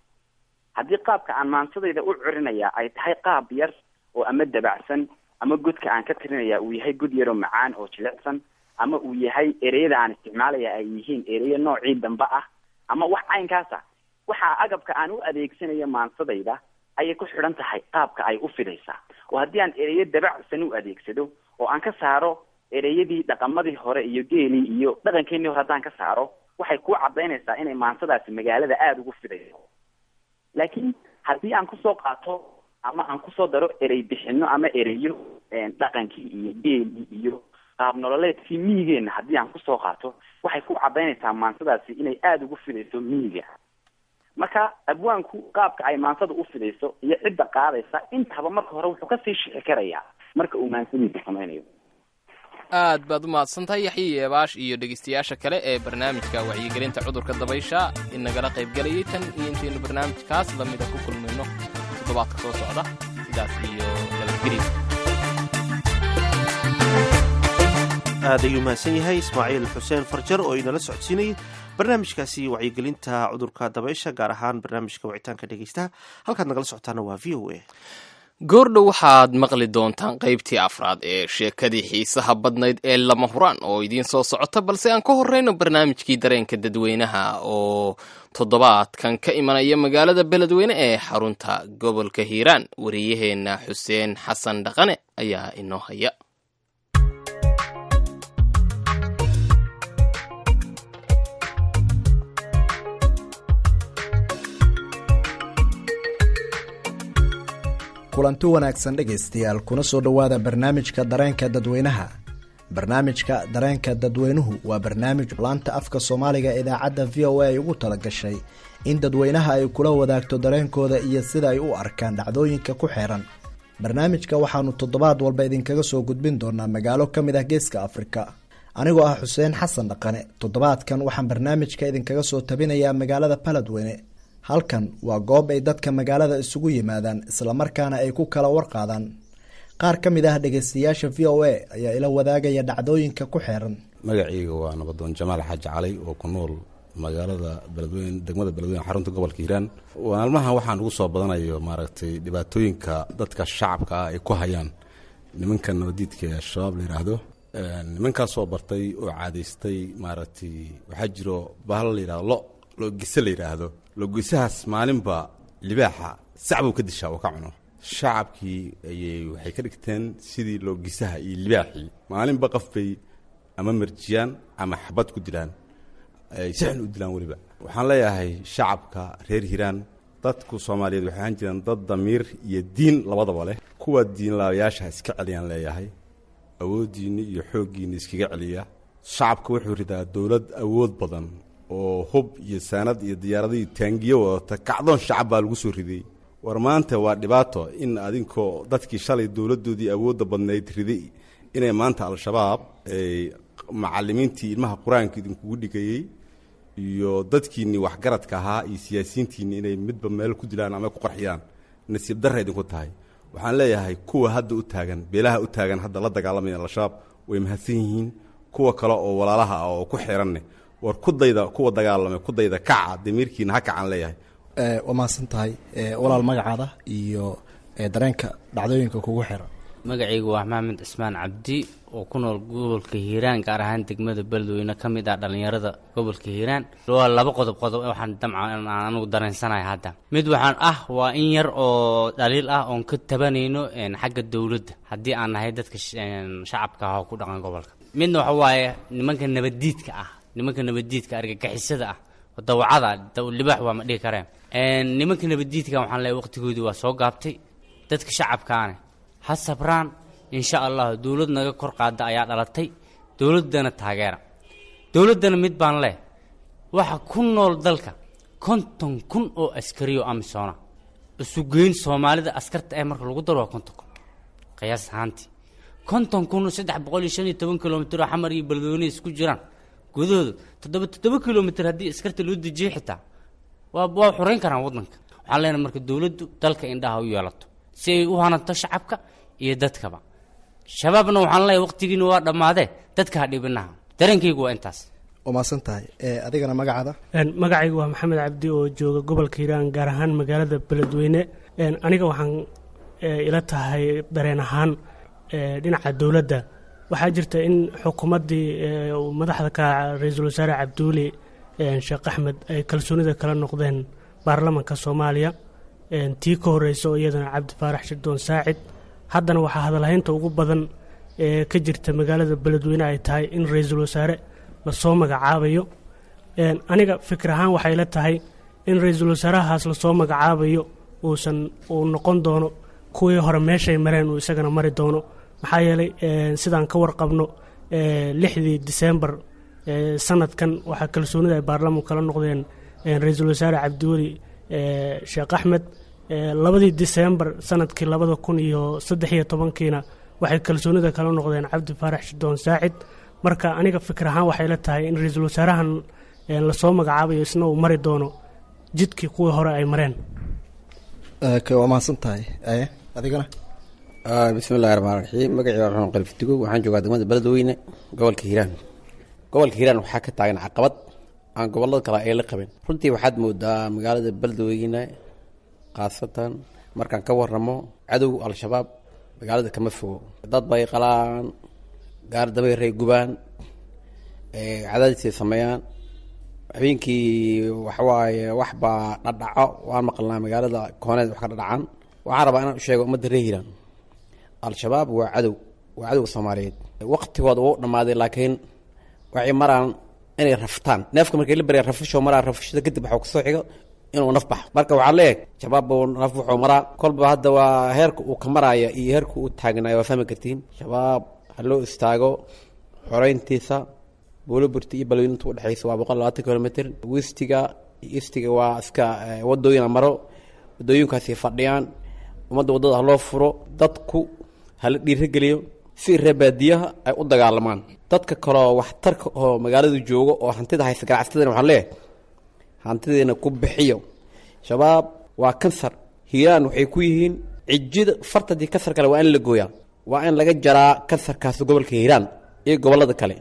Haddii qaabka aan maansadayda u curinaya ay tahay qaab yar oo ama dabacsan, ama godka aan ka tirinaya uu yahay god yaroo macaan oo jilicsan, ama uu yahay ereyada aan isticmaalaya ay yihiin ereyo noocii dambe ah ama wax caynkaas ah, waxaa agabka aan u adeegsanayo maansadayda ayay ku xidhan tahay qaabka ay u fidaysaa. Oo haddii aan ereyo dabacsan u adeegsado oo aan ka saaro ereyadii dhaqamadii hore iyo geelii iyo dhaqankeenii hore haddaan ka saaro, waxay ku cadaynaysaa inay maansadaasi magaalada aada ugu fidayso. Laakiin haddii aan kusoo qaato ama aan kusoo daro erey bixino ama ereyo dhaqankii iyo geelii iyo qaab nololeedkii miyigeena haddii aan kusoo qaato, waxay ku cadaynaysaa maansadaasi inay aada ugu fidayso miyiga. Marka abwaanku qaabka ay maansada u fidayso iyo cidda qaadaysa intaba marka hore wuxuu kasii shixi karayaa marka uu maansadiisa samaynayo. Aad baad u mahadsantahay Yaxye Yeebaash iyo dhegeystayaasha kale ee barnaamijka wacyigelinta cudurka dabaysha inagala qaybgelayay. Tan iyo intaynu barnaamijkaas lamida ku kulmayno toddobaadka soo socda, sidaas iyo nabadgelyo. Aad ayuu mahadsan yahay Ismaaciil Xuseen Farjar oo inala socodsiinayay barnaamijkaasi wacyigelinta cudurka dabaysha, gaar ahaan barnaamijka wicitaanka dhegeystaha. Halkaad nagala socotaana waa VOA. Goordhow waxaad maqli doontaan qaybtii afraad ee sheekadii xiisaha badnayd ee Lama Huraan oo idiin soo socota, balse aan ka horreyno barnaamijkii dareenka dadweynaha oo toddobaadkan ka imanaya magaalada Beledweyne ee xarunta gobolka Hiiraan. Wariyaheenna Xuseen Xasan Dhaqane ayaa inoo haya. Kulanti wanaagsan dhegaystayaal, kuna soo dhowaada barnaamijka dareenka dadweynaha. Barnaamijka dareenka dadweynuhu waa barnaamij laanta afka Soomaaliga idaacadda VOA ay ugu talagashay in dadweynaha ay kula wadaagto dareenkooda iyo sida ay u arkaan dhacdooyinka ku xeeran. Barnaamijka waxaanu toddobaad walba idinkaga soo gudbin doonaa magaalo ka mid ah Geeska Afrika. Anigoo ah Xuseen Xasan Dhaqane, toddobaadkan waxaan barnaamijka idinkaga soo tabinayaa magaalada Baladweyne. Halkan waa goob ay dadka magaalada isugu yimaadaan, islamarkaana ay ku kala warqaadaan. Qaar ka mid ah dhegaystayaasha VOA ayaa ila wadaagaya dhacdooyinka ku xeeran. Magacayga waa Nabadoon Jamaal Xaaji Calay oo ku nool magaalada Beledweyne, degmada Beledweyne, xarunta gobolka Hiiraan. Maalmahan waxaan ugu soo badanayo maaragtay dhibaatooyinka dadka shacabka ah ay ku hayaan nimanka nabadiidka ee Al-Shabaab la yidhaahdo. Nimankaasoo bartay oo caadaystay maaragtay, waxaa jiro bahal la yidhahdo loogise la yidhaahdo. Loogisahaas maalinba libaaxa sacbuu ka dishaa oo ka cuno. Shacabkii ayay waxay ka dhigteen sidii loogisaha iyo libaaxii, maalinba qof bay ama marjiyaan ama xabad ku dilaan, ay si xun u dilaan weliba. Waxaan leeyahay shacabka reer Hiiraan, dadku Soomaaliyeed waxay ahaan jireen dad damiir iyo diin labadaba leh. Kuwa diinlaabayaasha iska celiyaan leeyahay, awooddiinni iyo xooggiinni iskaga celiya. Shacabka wuxuu ridaa dowlad awood badan oo hub iyo saanad iyo diyaaradihii taangiyo wadata. Kacdoon shacab baa lagu soo riday. War maanta waa dhibaato in adinkoo dadkii shalay dowladdoodii awoodda badnayd riday Inay maanta Al-Shabaab ay macalimiintii ilmaha qur-aanka idinkugu dhigayey iyo dadkiinnii waxgaradka ahaa iyo siyaasiyiintiinni inay midba meel ku dilaan ama ku qarxiyaan, nasiib darra idinku tahay. Waxaan leeyahay kuwa hadda u taagan, beelaha u taagan hadda la dagaalamaya Al-Shabaab, way mahadsan yihiin. Kuwa kale oo walaalaha ah oo ku xiranne, war ku dayda kuwa dagaalamay, ku dayda, kaca, damiirkiina ha kacaan leeyahay. Waa mahadsan tahay walaal. Magacaada iyo dareenka dhacdooyinka kugu xiran? Magacaygu waa Maxamed Cismaan Cabdi oo ku nool gobolka Hiiraan, gaar ahaan degmada Beledweyne, ka mid ah dhallinyarada gobolka Hiiraan. Waa laba qodob. Qodob waxaan damca aan anigu dareensanahay hadda, mid waxaan ah waa in yar oo dhaliil ah oon ka tabanayno xagga dowladda haddii aan nahay dadka shacabka ah oo ku dhaqan gobolka. Midna waxa waaye nimanka nabaddiidka ah, nimanka nabaddiidka argagixisada ah, dawacada libaax waa ma dhihi kareen. Nimanka nabaddiidka waxaan leeyahay waqtigoodii waa soo gaabtay. Dadka shacabkaane ha sabraan, insha Allah dowlad naga kor qaada ayaa dhalatay, dowladdana taageera. Dowladdana mid baan leh, waxa ku nool dalka 50,000 oo askariyo amisona isugeyn. Soomaalida askarta ee marka lagu daro waa 50,000 qiyaas ahaantii. 50,000, 315 kilomitr oo Xamar iyo Beledweyne isku jiraan gudahooda, 7 7 kilomitr haddii askarta loo dejiyo xitaa waa xoreyn karaan waddanka. Waxaan leenahay marka dowladdu dalka indhaha u yeelato si ay u hananto shacabka iyo dadkaba. Shabaabna waxaan leeyahay waqtigiina waa dhammaadee, dadka ha dhibinaha. Dareenkaygu waa intaas. Waa mahadsan tahay. Adigana magacaada? Magacaygu waa Maxamed Cabdi oo jooga gobolka Hiiraan, gaar ahaan magaalada Beledweyne. Aniga waxaan ila tahay dareen ahaan dhinaca dowladda waxaa jirta in xukuumaddii madaxda ka ra-iisul wasaare Cabdiweli Sheekh Axmed ay kalsoonida kala noqdeen baarlamanka Soomaaliya. Tii ka horeysa oo iyadana Cabdi Faarax Shirdoon Saacid. Haddana waxaa hadalhaynta ugu badan ee ka jirta magaalada Beledweyne ay tahay in ra-iisul wasaare lasoo magacaabayo. Aniga fikir ahaan waxay la tahay in ra-iisul wasaarahaas lasoo magacaabayo uusan uu noqon doono kuwii hore meeshay mareen uu isagana mari doono. Maxaa yeelay sidaan ka warqabno, 6dii Disembar sanadkan waxaa kalsoonida ay baarlamanku kala noqdeen ra-iisul wasaare Cabdiweli Sheekh Axmed. 2dii Disembar sanadkii 2013-kiina waxay kalsoonida kala noqdeen Cabdi Faarax Shidoon Saacid. Marka aniga fikir ahaan waxay la tahay in ra-iisul wasaarahan lasoo magacaabayo isna uu mari doono jidkii kuwii hore ay mareen. Waa mahadsan tahay. Adigana? Bismillahi raxmaan raxiim. Magacii waa Maxamed Qaliftigo, waxaan joogaa degmada Beledweyne, gobolka Hiiraan. Gobolka Hiiraan waxaa ka taagan caqabad aan gobolada kale ay la qabin. Runtii waxaad moodaa magaalada Beledweyne khaasatan markaan ka waramo, cadow Al-Shabaab magaalada kama fogo. Dad bay qalaan, gaar dabayray gubaan, cadaadisay sameeyaan habeenkii. Waxawaaye wax baa dhadhaco, waan maqalnaa magaalada kooneed wax ka dhadhacaan. Waxaan rabaa inaan u sheego ummadda reer Hiiraan, Al-Shabaab waa cadow, waa cadowga Soomaaliyeed. Waqtigooda wuu dhammaaday, laakiin waxay maraan inay raftaan neefka markay la barya rafasho maraa. Rafashada kadib waxaa kusoo xigo inuu naf baxo. Marka waxaa leeyahay Shabaab buu naf wuxuu maraa kolba. Hadda waa heerka uu ka maraaya iyo heerka uu taagnayo, waa fahmi kartiin. Shabaab ha loo istaago xoreyntiisa. Buuloburti iyo Balweyne inta udhexaysa waa 120 kilomitr. Westiga iyo eastiga waa iska wadooyina maro, wadooyinkaasi fadhiyaan. Ummadda waddada ha loo furo, dadku hala dhiirageliyo si reer baadiyaha ay u dagaalamaan. Dadka kaleo waxtarka oo magaalada joogo oo hantida haysta, ganacsatadana waxaan leeyahay hantidiina ku bixiyo. Shabaab waa kansar. Hiiraan waxay ku yihiin cijida farta. Haddii kansar kale waa in la gooyaa, waa in laga jaraa kansarkaasi gobolka Hiiraan iyo gobolada kale.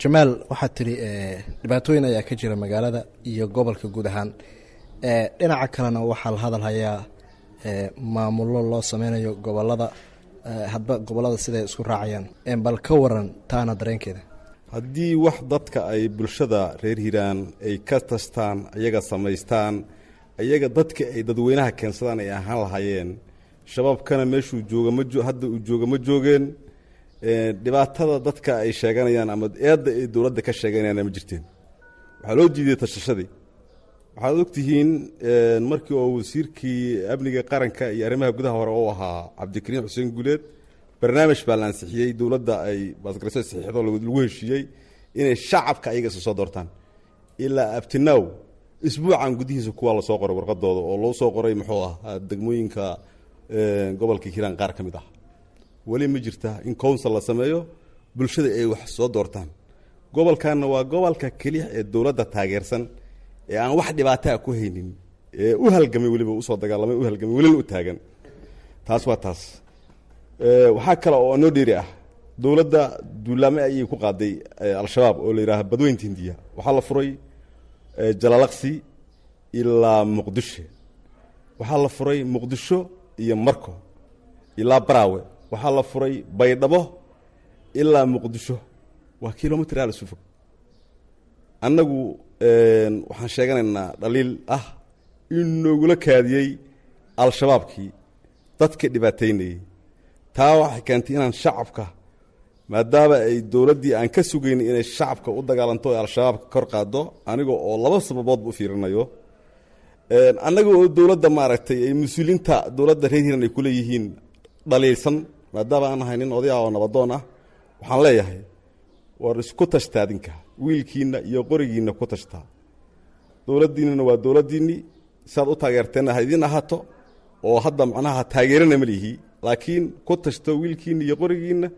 Jamaal, waxaad tidhi dhibaatooyin ayaa ka jira magaalada iyo gobolka guud ahaan. Dhinaca kalena waxaa la hadal hayaa maamullo loo sameynayo gobolada, hadba gobolada siday isku raacayaan. Bal ka waran taana dareenkeeda? Haddii wax dadka ay bulshada reer Hiiraan ay ka tastaan, iyaga samaystaan, iyaga dadka ay dadweynaha keensadaan ay ahaan lahaayeen, Shabaabkana meeshuu jooga ma hadda uu jooga ma joogeen. Dhibaatada dadka ay sheeganayaan ama eedda ay dowladda ka sheeganayaan ma jirteen. Waxaa loo diiday tashashadii. Waxaad ogtihiin markii oo wasiirkii amniga qaranka iyo arrimaha gudaha hore uu ahaa Cabdikariim Xuseen Guuleed, barnaamij baa la ansixiyey, dowladda ay baasgarayso saxiixdo, lagu heshiiyey inay shacabka ayaga isa soo doortaan. Ilaa abtinaw isbuucan gudihiisa kuwaa lasoo qoray warqadooda oo loo soo qoray muxuu ah degmooyinka gobolka Hiiraan qaar ka mid ah. Weli ma jirta in council la sameeyo, bulshada ay wax soo doortaan. Gobolkanna waa gobolka keliya ee dowladda taageersan ee aan wax dhibaataa ku haynin, ee u halgamay, weliba usoo dagaalamay, u halgamay, welina u taagan. Taas waa taas. Waxaa kale oo noo dheeri ah, dowladda duulaame ayay ku qaaday Al-Shabaab oo la yidhaaha Badweynta Hindiya. Waxaa la furay Jalalaqsi ilaa Muqdisho, waxaa la furay Muqdisho iyo Marko ilaa Baraawe, waxaa la furay Baydhabo ilaa Muqdisho. Waa kilomitr aal isu fog. Annagu waxaan sheeganaynaa dhaliil ah in noogula kaadiyey Al-Shabaabkii dadka dhibaataynayey. Taa waxay keentay inaan shacabka, maadaama ay dowladdii aan ka sugaynay inay shacabka u dagaalanto ee Al-Shabaabka kor qaado, aniga oo laba sababoodba u fiirinayo, annaga oo dowladda maaragtay ay mas-uuliyiinta dowladda reer Hiiraan ay ku leeyihiin dhaliilsan, maadaama aan ahay nin oday ah oo nabadoon ah, waxaan leeyahay war isku tashta adinka, wiilkiinna iyo qorigiinna ku tashtaa. Dowladdiinnana waa dowladdiinni, siaad u taageerteenna ha idiin ahaato, oo hadda macnaha taageerana ma lihi, laakiin ku tashto wiilkiinna iyo qorigiinna.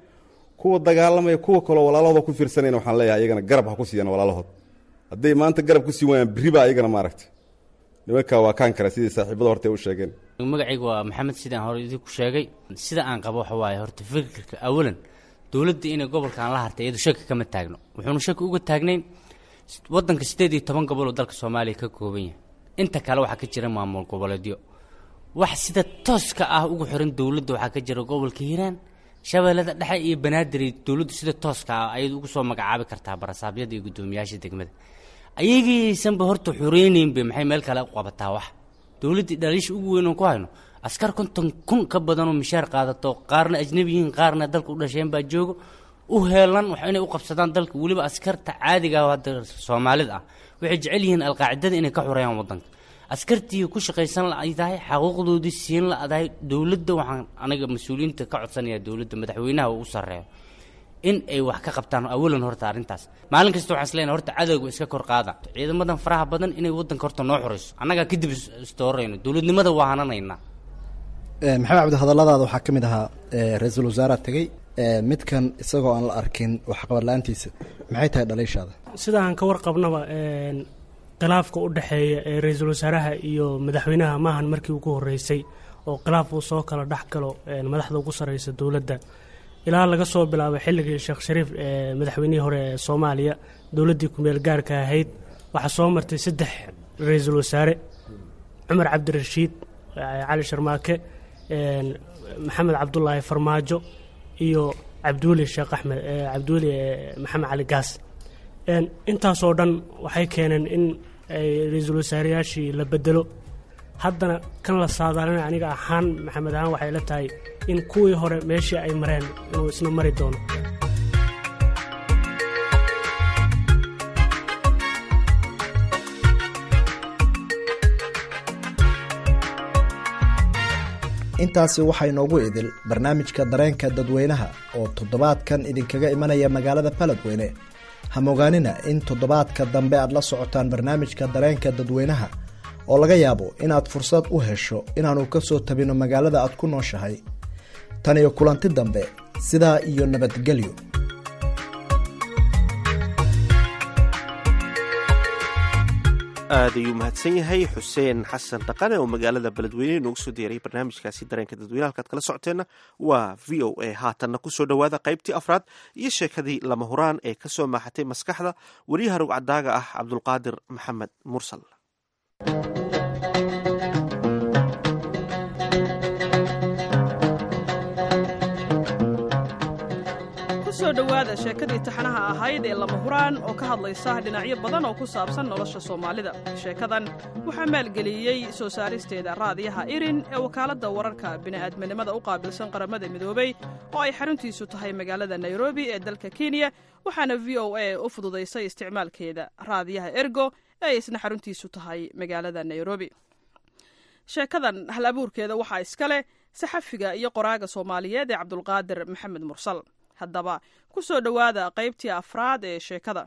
Kuwa dagaalamaya, kuwa kaloo walaalahooda ku fiirsanayna, waxaan leeyahay ayagana garab ha ku siiyaan walaalahood. Hadday maanta garab ku sii waayaan, berri baa ayagana maaragtay nimanka waa kaan kara, sidii saaxiibada horta u sheegeen. Magacaygu waa Maxamed. Sidaan hore idinku sheegay, sida aan qabo waxa waaye horta fikirka awalan dowladda inay gobolkan la hartay iyadu shaki kama taagno. Wuxuuna shaki uga taagnayn, waddanka 18 gobol oo dalka Soomaaliya ka kooban yahay, inta kale waxaa ka jira maamul goboleedyo. Wax sida tooska ah ugu xiran dowladda waxaa ka jira gobolka Hiiraan, Shabeellada Dhexe iyo Banaadir. Dowladdu sida tooska ah ayadu ugu soo magacaabi kartaa barasaabyada iyo guddoomiyaasha degmada. Ayagaysanba horta xureyneynba, maxay meel kale u qabataa? Wax dowladdii dhaliisha ugu weyn oon ku hayno, askar 50,000 ka badanoo mishaar qaadato, qaarna ajnabi yihiin, qaarna dalka u dhasheen baa joogo, u heelan wax inay u qabsadaan dalka. Weliba askarta caadiga ah hadda Soomaalida ah waxay jecel yihiin Alqaacidada inay ka xoreeyaan waddanka. Askartii ku shaqaysan la ay tahay, xaquuqdoodii siin la adahay dowladda. Waxaan aniga mas-uuliyiinta ka codsanayaa, dowladda madaxweynaha uu u sarreeyo, in ay wax ka qabtaan awalan horta arrintaas. Maalin kasta waxaan isleeyahay horta cadowga iska kor qaada, ciidamadan faraha badan inay waddanka horta noo xoreyso, annagaa kadib isdoorayno, dowladnimada waa hananaynaa. Maxamed Cabdi, hadalladaada waxaa ka mid ahaa ra-iisul wasaaraa tegey midkan isagoo aan la arkin waxqabad la-aantiisa. Maxay tahay dhaliishaada? Sida aan ka warqabnaba, khilaafka u dhexeeya ee ra-iisul wasaaraha iyo madaxweynaha maahan markii ugu horreysay oo khilaaf uu soo kala dhex galo madaxda ugu sarreysa dowladda. Ilaa laga soo bilaabay xilligii Sheekh Shariif ee madaxweynihii hore ee Soomaaliya, dowladdii kumeel gaarka ahayd, waxaa soo martay 3 ra-iisul wasaare: Cumar Cabdirashiid Cali Sharmaake, Maxamed Cabdulaahi Farmaajo iyo Cabdiweli Sheekh Axmed, Cabdiweli Maxamed Cali Gaas. Intaasoo dhan waxay keeneen in ay ra-iisul wasaareyaashii la bedelo. Haddana kan la saadaalina, aniga ahaan Maxamed ahaan, waxay la tahay in kuwii hore meeshii ay mareen inuu isna mari doono. Intaasi waxaa inoogu idil barnaamijka dareenka dadweynaha oo toddobaadkan idinkaga imanaya magaalada Baladweyne. Hamogaanina in toddobaadka dambe aad la socotaan barnaamijka dareenka dadweynaha, oo laga yaabo inaad fursad u hesho inaannu ka soo tabino magaalada aad ku nooshahay. Tan iyo kulanti dambe, sidaa iyo nabadgelyo. Aad ayuu mahadsan yahay Xuseen Xasan Dhaqane oo magaalada Beledweyne inoogu soo diyaariyay barnaamijkaasi dareenka dadweyne. Halkaad kala socoteenna waa VOA. Haatanna kusoo dhowaada qaybtii afraad iyo sheekadii Lama Huraan ee kasoo maaxatay maskaxda weriyaha rugcadaaga ah Cabdulqaadir Maxamed Mursal. Kusoo dhowaada sheekadii taxanaha ahayd ee Lama Huraan oo ka hadlaysa dhinacyo badan oo ku saabsan nolosha Soomaalida. Sheekadan waxaa maalgeliyey soo saaristeeda Raadiyaha Irin ee wakaaladda wararka bini'aadminimada u qaabilsan Qaramada Midoobey, oo ay xaruntiisu tahay magaalada Nairobi ee dalka Kenya, waxaana VOA u fududaysay isticmaalkeeda Raadiyaha Ergo ee ay isna xaruntiisu tahay magaalada Nairobi. Sheekadan hal abuurkeeda waxaa iska leh saxafiga iyo qoraaga Soomaaliyeed ee Cabdulqaadir Maxamed Mursal. Haddaba ku soo dhowaada qaybtii afraad ee sheekada.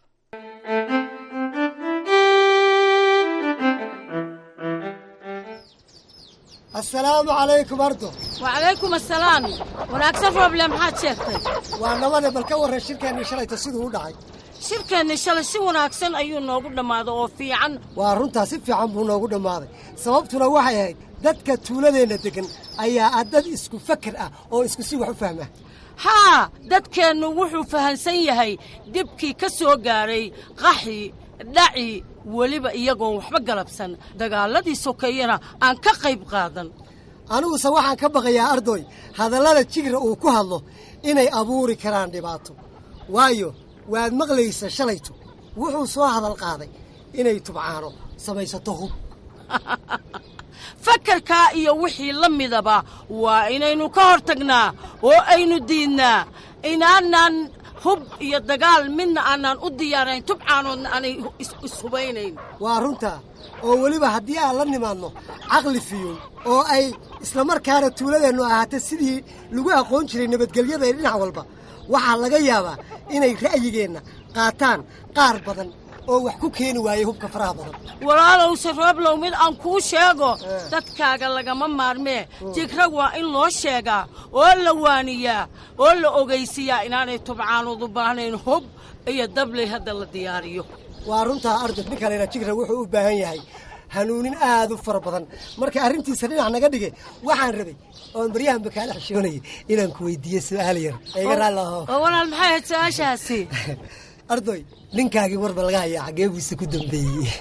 Assalaamu calaykum ardo. Wacalaykum assalaam. Wanaagsan Rooble, maxaad sheegtay? Waa nabade, bal ka warran shirkeennii shalayta siduu u dhacay. Shirkeenni shalay si wanaagsan ayuu noogu dhammaaday oo fiican. Waa runtaa, si fiican buu noogu dhammaaday. Sababtuna waxay ahayd dadka tuuladeenna deggan ayaa ah dad isku fakar ah oo isku si wax u fahma. Haa, dadkeennu wuxuu fahansan yahay dhibkii ka soo gaadhay qaxi dhaci, weliba iyagoon waxba galabsan, dagaalladii sokeeyena aan ka qayb qaadan. Aniguse waxaan ka baqayaa ardoy hadallada Jigra uu ku hadlo inay abuuri karaan dhibaato, waayo waad maqlaysa shalayto wuxuu soo hadal qaaday inay Tubcaano samaysato hub. Fakarkaa iyo wixii la midaba waa inaynu ka hor tagnaa oo aynu diidnaa inaanaan hub iyo dagaal midna aanaan u diyaarayn, Tubcaanoodna aanay ishubaynayn. Waa runtaa, oo weliba haddii aan la nimaadno caqli fiyow oo ay islamarkaana tuuladeennu ahaata sidii lagu aqoon jiray nabadgelyada ee dhinac walba, waxaa laga yaabaa inay ra'yigeenna qaataan qaar badan oo wax ku keeni waayey hubka faraha badan. Walaalowse Rooblow, mid aan kuu sheego: dadkaaga lagama maarmee. Jigra waa in loo sheegaa oo la waaniyaa oo la ogaysiiyaa inaanay Tubcaanood u baahnayn hub iyo dabley hadda la diyaariyo. Waa runtaa ardo, nin kalena Jigra wuxuu u baahan yahay hanuunin aad u fara badan. Marka arrintiisa dhinac naga dhige, waxaan rabay oon baryahanba kaala xishoonayay inaan ku weydiiyo su'aal yar. Iga raalli aho. Oo walaal, maxay ahayd su-aashaasi? Ardoy, ninkaagii warba laga hayaa, xaggee buuse ku dambeeyey?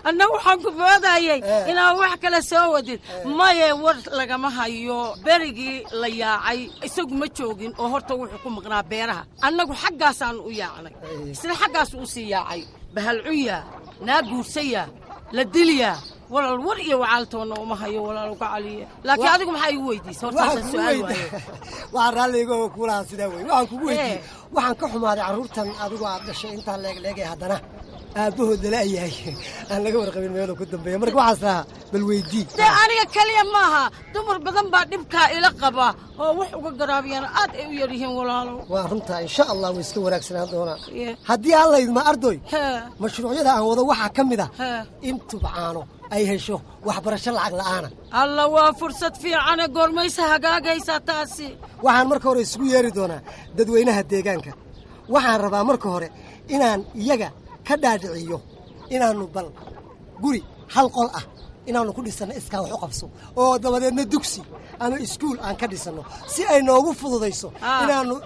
Anna waxaan ku moodayay inaan wax kale soo wadid. Maye, war lagama hayo. Berigii la yaacay isagu ma joogin, oo horta wuxuu ku maqnaa beeraha. Annagu xaggaasaanu u yaacnay, isna xaggaasu u sii yaacay. Bahalcuya naa guursaya la dilyaa. Walaal, war iyo wacaaltoonna uma hayo, walaal uga caliya. Laakiin adigu maxaa igu weydiisay hortaasaan su'aal waaye? Waxaan raalliga oo kuulahaa sidaa wey waxaan kugu weydiiyey, waxaan ka xumaaday carruurtan adigu aad dhashay intaan leegleegay haddana aabbahood lala-yahay, aan laga warqabin meeluu ku dambeeya. Marka waxaas lahaa bal weydii. Dee aniga keliya maaha, dumar badan baa dhibkaa ila qaba oo wax uga garaabiyana aad ay u yar yihiin, walaalow. Waa runtaa, insha Allah way iska wanaagsanaan doonaa haddii alla idma. Ardoy, mashruucyada aan wado waxaa ka mid ah in Tubcaano ay hesho waxbarasho lacag la'aana. Alla, waa fursad fiicane. Goormaysa hagaagaysaa taasi? Waxaan marka hore isugu yeeri doonaa dadweynaha deegaanka. Waxaan rabaa marka hore inaan iyaga ka dhaadhiciyo inaannu bal guri hal qol ah inaannu ku dhisanno iskaa wax u qabso, oo dabadeedna dugsi ama iskuul aan ka dhisanno, si ay noogu fududayso inaannu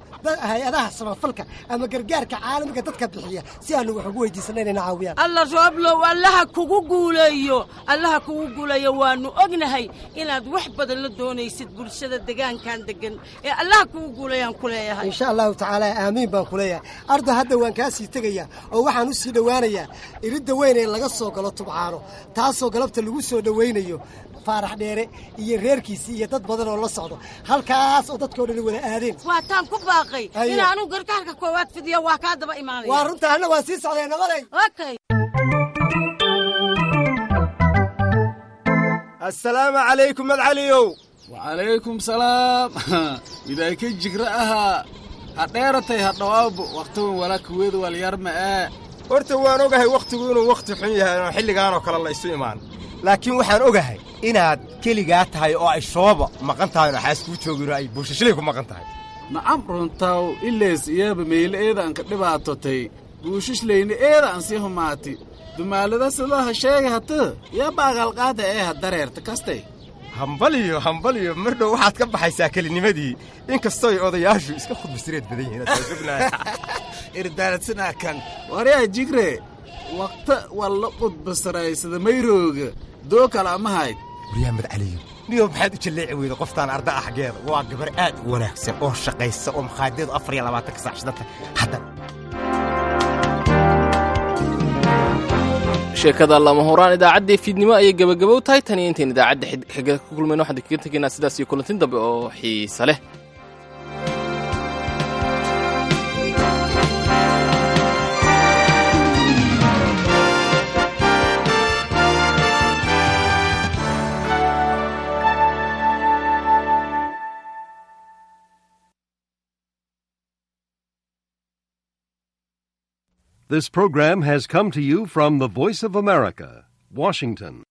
hay-adaha samafalka ama gargaarka caalamiga dadka bixiya si aanu wax ugu weydiisanno inayna caawiyaan. Alla Rooblow, Allaha kugu guuleeyo, Allaha kugu guuleeyo. Waannu ognahay inaad wax badan la doonaysid bulshada degaankan degan ee Allaha kugu guuleeyaan ku leeyahay. Insha Allahu tacaala, aamiin baan ku leeyahay. Ardo, hadda waan kaa sii tegayaa oo waxaan u sii dhowaanayaa iridda weyn ee laga soo galo Tubcaano, taasoo galabta lagu soo dhowaynayo Faarax Dheere iyo reerkiisii iyo dad badan oo la socdo, halkaas oo dadkao dhan wada aadeen. Waataan ku baaqay in anugu gargaarka koowaad fidiyo, waa kaa daba imaanaya. Waa runta, anna waan sii socday. Nabaday. Okay. Assalaamu calaykum, Madcaliyow. Wacalaykum salaam. Midaykay Jigra ahaa ha dheeratay ha dhawaabo wakhtigan walaa kuweeda walyarma ee. Horta waan ogahay wakhtigu inuu wakhti xun yahay oo xilligaanoo kale la isu imaan, laakiin waxaan ogahay inaad keligaa tahay oo ay shooba maqan tahay oo xaas kuu joogin oo ay buushashlay ku maqan tahay. Nacam, runtaw ileys iyaba meyle eeda aan ka dhibaatotay, buushishlayna eeda aan sii humaati dumaalada sidaha sheega hata yaaba agaalqaada ee ha dareerta kastay. Hambaliyo, hambaliyo, mar dhow waxaad ka baxaysaa kelinimadii, inkastooy odayaashu iska khudbasireed badan yihiin. Irdaaladsanaa kan waryaa Jigre, waqta walla qudbasaraysada mayrooga doo kale ama hayd. Waryaa Madcaliyo, niyow, maxaad u jalleeci weyda qoftaan arda ah xaggeeda? Waa gabar aad u wanaagsan oo shaqaysa oo makhaadiadu 24-ka saac shidanta hadda. Sheekada Lama Huraan idaacaddii fiidnimo ayay gebagabow tahay. Tan iyo intayn idaacadda xiga ku kulmayno, waxaan kaga tegaynaa sidaas iyo kulantin dambe oo xiise leh. This program has come to you from the Voice of America, Washington.